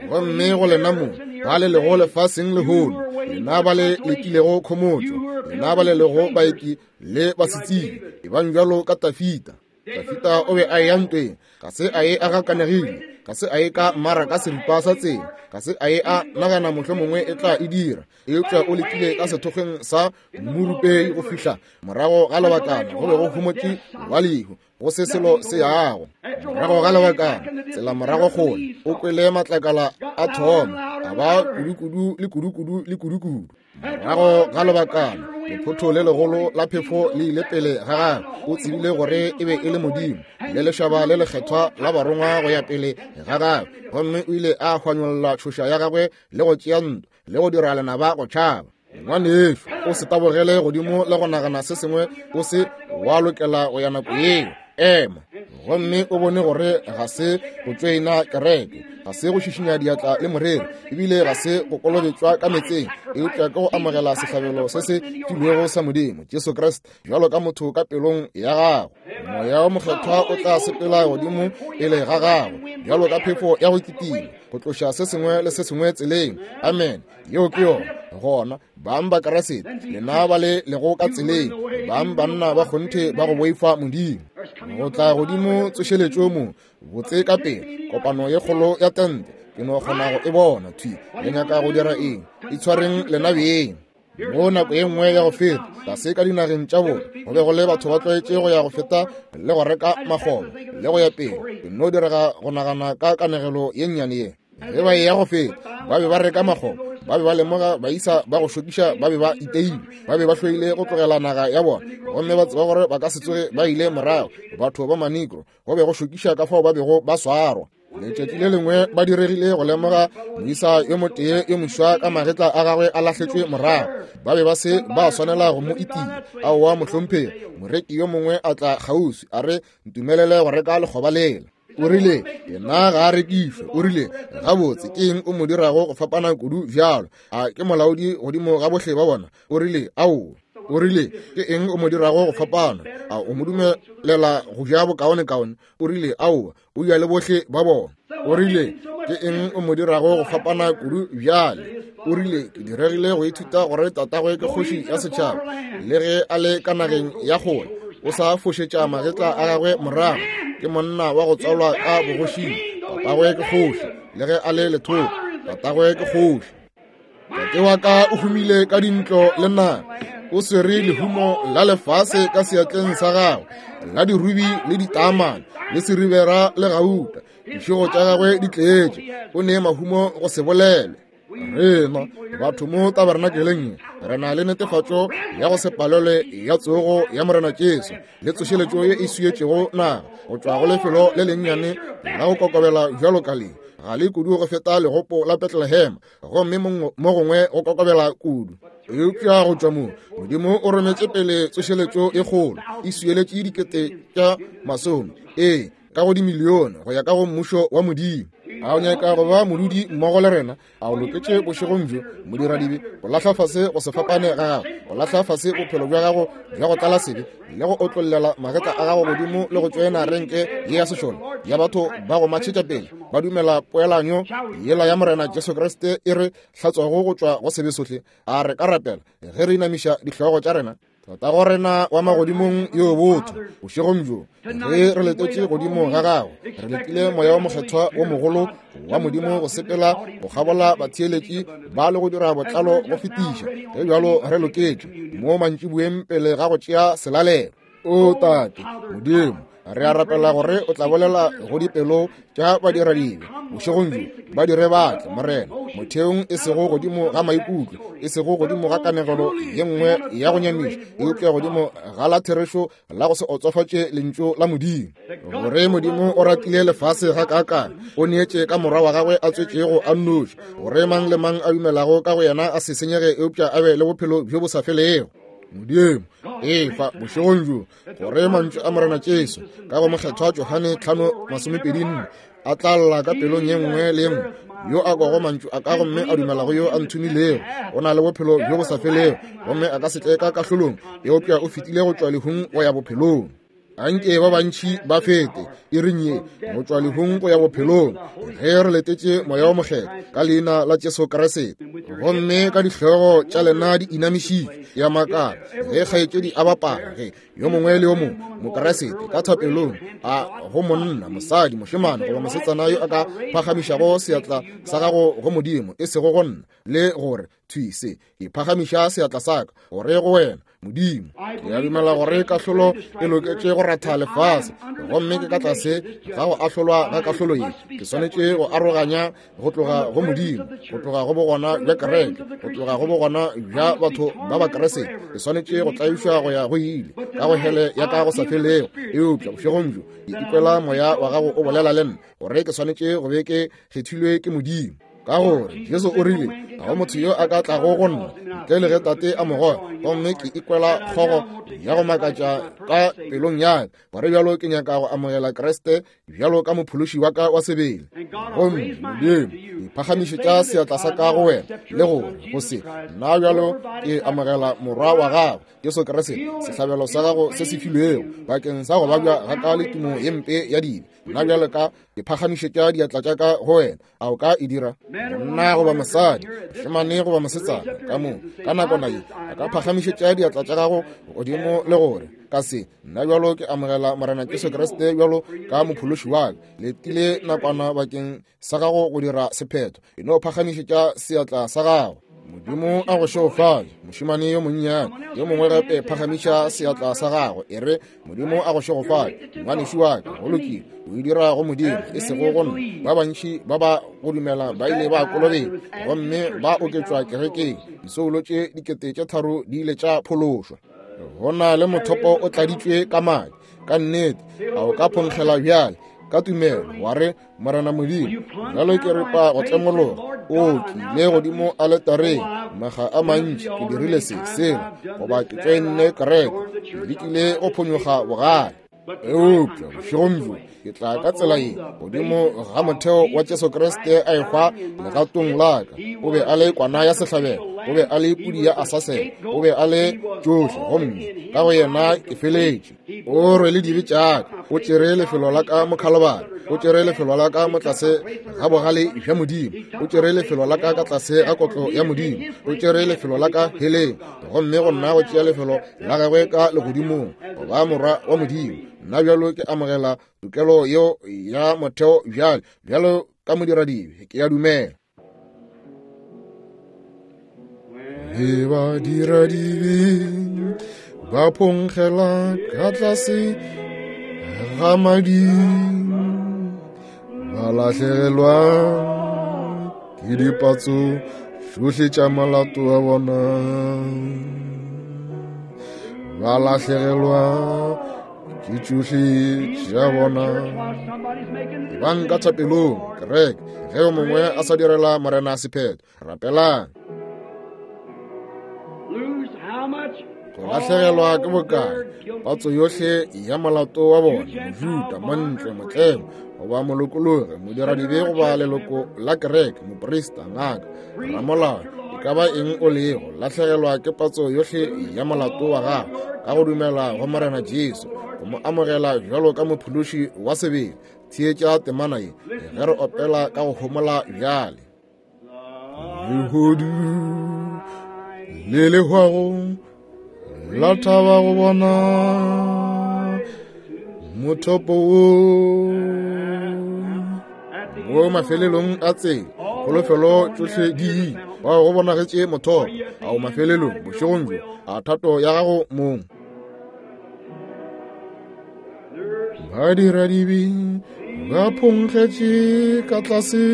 Gomme go lena mo ba le lego lefaseng lehono, lena ba le lekilego khomotšo, lena ba le lego baeki le basetsebje, ebang bjalo ka Tafita. Tafita o be a eya ntweng, ga se a ye a gakanegile, ga se a ye ka mmaraka seripa sa tsela, ga se a ye a nagana mohlomongwe e tla e dira, eupša o lekile ka sethokgweng sa mmurupei go fihla morago ga lebakana go be go homotše wa lehu, go se selo se yago. Morago ga lebakana, tsela morago kgole, o kwele matlakala a thoma a ba kudukudu le kudukudu le kudukudu. Morago ga lebakana, Lephotho le legolo la phefo le ile pele ga gagwe. O tsebile gore e be e le Modimo, le lešaba le lekgethwa la barongwa go ya pele ga gagwe. Gomme o ile a hwanyolla tšhoša ya gagwe le go tšea ntwa le go dira lenaba go tšhaba. Ngwanešu, o se tabogele godimo le go nagana se sengwe o se wa lokela go ya nako yeo. Ema gomme o bone gore ga se go tšoena kereke, ga se go šišinya diatla le moreri, ebile ga se go kolobetšwa ka meetseng, eupša ke go amogela sehlabelo se se filwego sa Modimo, Jesu Kriste, bjalo ka motho ka pelong ya gago. Moya o Mokgethwa o tla sepela godimo pele ga gago bjalo ka phefo ya go kitima, go tloša se sengwe le se sengwe tseleng. Amen. Yeo ke yona. Gona bang ba Kriste, lena ba le lego ka tseleng, bang banna ba kgonthe ba go boifa Modimo. Go tla godimo tsošeletšo mo botse ka pele, kopano ye kgolo ya tente, ke no kgona go e bona thwi. Le nyaka go dira eng? Itshwareng lena beng. Mo nako ye nngwe ya go feta, tlase ka dinageng tša bona, go be go le batho ba tlwaetše go ya go feta le go reka makgoba le go ya pele. Ke no direga go nagana ka kanegelo ye nnyane ye. Ge ba eya go feta, ba be ba reka makgoba, ba be ba lemoga baisa ba go šokiša, ba be ba iteile, ba be ba hloile go tlogela naga ya bona, gomme ba tseba gore ba ka se tsoge ba ile morago. Batho ba Manegro go be go šokiša ka fao ba bego ba swarwa. Letšatši le lengwe ba diregile go lemoga moisa yo motee yo moswa ka magetla a gagwe a lahletšwe morago. Ba be ba se ba swanela go mo itia. Aowa mohlomphegi, moreki yo mongwe a tla kgauswi a re, ntumelele go reka lekgoba lela. O rile, yena ga a rekišwe. O rile, gabotse ke eng o mo dirago go fapana kudu bjalo? A ke molaodi godimo ga bohle ba bona? O rile, aowa. O rile, ke eng o mo dirago go fapana? A o mo dumelela go ja bokaonekaone? O rile, aowa, o ja le bohle ba bona. O rile, ke eng o mo dirago go fapana kudu bjale? O rile, ke diregile go ithuta gore tatagwe ke kgoši ya setšhaba, le ge a le ka nageng ya kgole, o sa fošetša magetla a gagwe morago. Ke monna wa go tswalwa ka bogošing, tatagwe ke kgoši, le ge a le lethoko, tatagwe ke kgoši. Tate wa ka o humile ka dintlo le naga, o swere lehumo la lefase ka seatleng sa gagwe, la dirubi le ditaamane le seribera le gauta. Dišego tša gagwe di tletše, o ne mahumo go se bolelwe. Rena batho mo tabernakeleng re na le netefatšo ya go se palelwe ya tsogo ya Morena Jesu le tsošeletšo ye e swietšego naga go tšwa go lefelo le lennyane la go kokobela bjalo ka le. Ga le kudu go feta legopo la Bethlehem, gomme mo gongwe go kokobela kudu. Eupša go tšwa mo, Modimo o rometše pele tsošeletšo e kgolo, e swieletše dikete tša masome, ee, ka go dimilione go ya ka go mmušo wa Modimo. A o nyaka go ba modudi mmogo le rena? A o loketše bošegong bjo, modiradibe, go lahla fase go se fapane ga gago, go lahla fase bophelo bja gago bja go tlala sebe, le go otlollela magetla a gago godimo le go tšoena renke ye ya sešole ya batho ba go matšhetša pele ba dumela poelanyo yela ya Morena Jesu Kriste e re hlatswago go tšwa go sebe sohle? A re ka rapela ge re inamiša dihlogo tša rena? Tatago rena wa magodimong yo botho, bošegong bjo ge re letetše godimo ga gago, re letile Moya wa Mokgethwa wo mogolo wa Modimo go sepela go kgabola batheeletši ba le go dira botlalo go fetiša. Ge bjalo re loketše mo mantšiboeng pele ga go tšea selalelo. O Tate Modimo, re a rapela gore o tla bolela go dipelo tša badiradibe bošegong bjo, ba dire batle Morena, motheong e sego godimo ga maikutlo, e sego godimo ga kanegelo ye nngwe ya go nyamiša, eupša godimo ga la therešo la go se otsofatše lentšu la Modimo. Gore Modimo o ratile lefase ga kaakang, o neetše ka morwa wa gagwe a tswetšego a nnoši, gore mang le mang a dumelago ka go yena a se senyege, eupša a be le bophelo bjo bo sa felego. Modimo, efa bošegong bjo gore mantšu a Morena Jesu ka go Mokgethwa Johane tlhano masomepedi nne a tla lla ka pelong ye nngwe le ye nngwe yo a kwago mantšu a ka gomme a dumelago yo a nthomilego, o na le bophelo bjo bo sa felego, gomme a ka se tle ka kahlolong, eupša o fetile go tšwa lehung go ya bophelong. Anke ba bantši ba fete iring ye go tšwa lehung go ya bophelong, ge re letetše Moya wo Mokgethwa ka leina la Jesu Kriste. Gomme ka dihlogo tša lena di inamišitšwe, ya makala ge kgaetšedi a bapala, ge yo mongwe le yo mongwe Mokriste ka thapelong a go monna, mosadi, mošemane goba mosetsana yo a ka phagamišago seatla sa gago go Modimo, e sego go nna, le gore thwi se ke phagamiša seatla sa ka gore go wena, Modimo. Ke a dumela gore kahlolo e loketše go ratha lefase, gomme ke ka tlase ga go ahlolwa ga kahlolo ye. Ke swanetše go aroganya go tloga go Modimo, go tloga go bogona bja kereke, go tloga go bogona bja batho ba ba Kriste. Ke swanetše go tlaišwa go ya go ile ka go hele ya ka go sa felego. Eupša bošegong bjo ke ikwela moya wa gago o bolela le nna gore ke swanetše go be ke kgethilwe ke Modimo. Ka gore Jesu o rile ga go motho yo a ka tlago go nna ntle le ge Tate a mo goga, gomme ke ikwela kgogo ya go makatša ka pelong ya ka gore bjalo ke nyaka go amogela Kriste bjalo ka mophološi wa ka wa sebele. Gomme Modimo, ke phagamišetša seatla sa ka go wena le gore go se nna bjalo ke amogela morwa wa gago Jesu Kriste, sehlabelo sa gago se se filwego bakeng sa go babja ga ka le tumo ye mpe ya dibe. Nna bjalo ka ke phagamišetša diatla tša ka go wena. A o ka e dira? Monna goba mosadi, mošemane goba mosetsana, ka mo ka nakwana ye a ka phagamišetša diatla tša gago godimo le gore ka se nna bjalo ke amogela Morena Jesu Kriste bjalo ka mophološi wa ka. Letile nakwana bakeng sa gago go dira sephetho. E no phagamišetša seatla sa gago. Modimo a go šegofatše, mošemane yo monnyane. Yo mongwe gape phagamiša seatla sa gago, e re Modimo a go šegofatše, ngwanešu wa ka. Go lokile, o e dira go Modimo, e sego go nna. Ba bantši ba ba go dumela ba ile ba kolobetšwa gomme ba oketšwa kerekeng. Disoulo tše dikete tše tharo di ile tša phološwa. Go na le mothopo o tladitšwe ka madi. Ka nnete, a o ka phonkgela bjale ka tumelo wa re Morena Modimo, bjalo ke ripa go tlemologa. O ke ile godimo aletareng maga a mantši, ke dirile se sela, goba ke tšoenne kereke, ke lekile go phonyoga bogale. Eupša bošegong bjo ke tla ka tsela ye godimo ga motheo wa Jesu Kriste a ehwa legatong la ka. O be a le kwana ya sehlabelo, o be a le pudi ya asasela, o be a le tšohle, gomme ka go yena ke feletše. O rwele dibe tša ka, o tšere lefelo la ka mo Khalibari, o tšere lefelo la ka mo tlase ga bogale bja Modimo, o tšere lefelo la ka ka tlase ga kotlo ya Modimo, o tšere lefelo la ka heleng, gomme go nna go tšea lefelo la gagwe ka legodimong go ba morwa wa Modimo. Nna bjalo ke amogela tokelo yeo ya motheo bjale bjalo ka modiradibe, ke a dumela. Le badiradibe ba phonkgela ka tlase ga madi, ba lahlegelwa ke dipatso tšohle tša molato wa bona, ba lahlegelwa ke tšohle tša bona. Ebang ka thapelong, kereke, ge yo mongwe a sa direla Morena sephetho, rapelang. Go lahlegelwa ke bokae patso yohle ya molato wa bona, Mojuda, montle, motlemo, goba molokologi, modiradibe goba leloko la kereke, moprista, ngaka, ramolao, e ka ba eng o lego, lahlegelwa ke patso yohle ya molato wa gago ka go dumela go Morena Jesu, go mo amogela bjalo ka mophološi wa sebele. Theetša temana ye ge re opela ka go homola bjale. Lehodu le le hwago la thaba go bona mothopo wo mo mafelelong a tsela, kholofelo tšohle di ile, bao go bonagetše mothopo. Ao mafelelong bošegong bjo, a thato ya gago mong. Badiradibe ba phonkgetše ka tlase,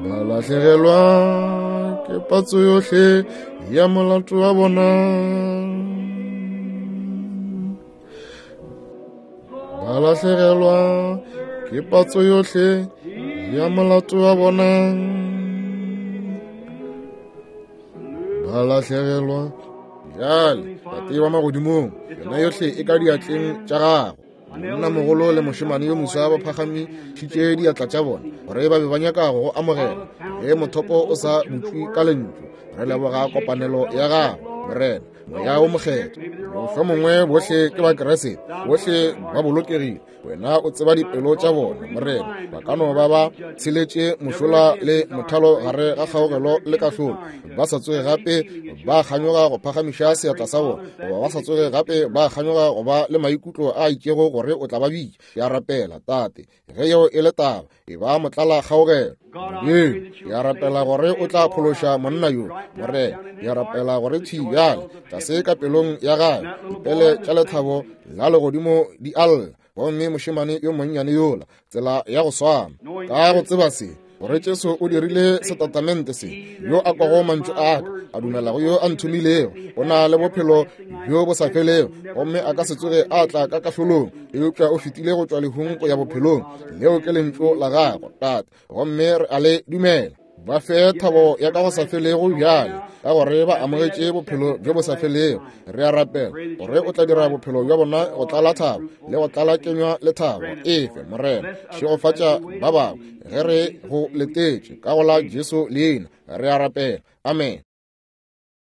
ba lahlegelwa ke patso yohle ya molato wa bona, ba lahlegelwa ke patso yohle ya molato wa bona, ba lahlegelwa. Bjale Tate wa magodimong, yona yohle e ka diatleng tša gago. Monna mogolo le mošemane yo moswa ba phagamišitše diatla tša bona gore ba be ba nyaka go go amogela ge mothopo o sa butšwe ka lentšu. Re leboga kopanelo ya gago, Morena, Moya o Mokgethwa. Mohlomongwe bohle ke ba Kriste, bohle ba bolokegile. Wena o tseba dipelo tša bona, Morena. Ba ka no ba ba tsheletše mošola le mothalo gare ga kgaogelo le kahlolo, ba sa tsoge gape ba kganyoga go phagamiša seatla sa bona, goba ba sa tsoge gape ba kganyoga go ba le maikutlo a itšego gore o tla ba bitša. Ke a rapela, Tate, ge yeo e le taba, e ba motlala kgaogelo. Modimo, ke a rapela gore o tla phološa monna yo, Morena. Ke a rapela gore thwi bjale, tlase ka pelong ya gagwe, dipele tša lethabo la legodimo di a lla. Gomme mošemane yo monnyane yola, tsela ya go swana, ka go tseba se, gore Jesu o dirile setatamente se, yo a kwago mantšu a ka, a dumela go yo a nthomilego, o na le bophelo bjo bo sa felego, gomme a ka se tsoge a tla ka kahlolong, eupša o fetile go tšwa lehung go ya bophelong. Leo ke lentšu la gago, Tate, gomme re a le dumela. Ba fe thabo ya ka go sa felego bjale, ka gore ba amogetše bophelo bjo bo sa felego. Re a rapela gore o tla dira bophelo bja bona go tlala thabo le go tlala kenywa le thabo. Efe, Morena, šegofatša ba bangwe ge re go letetše, ka go la Jesu leina re a rapela. Amen.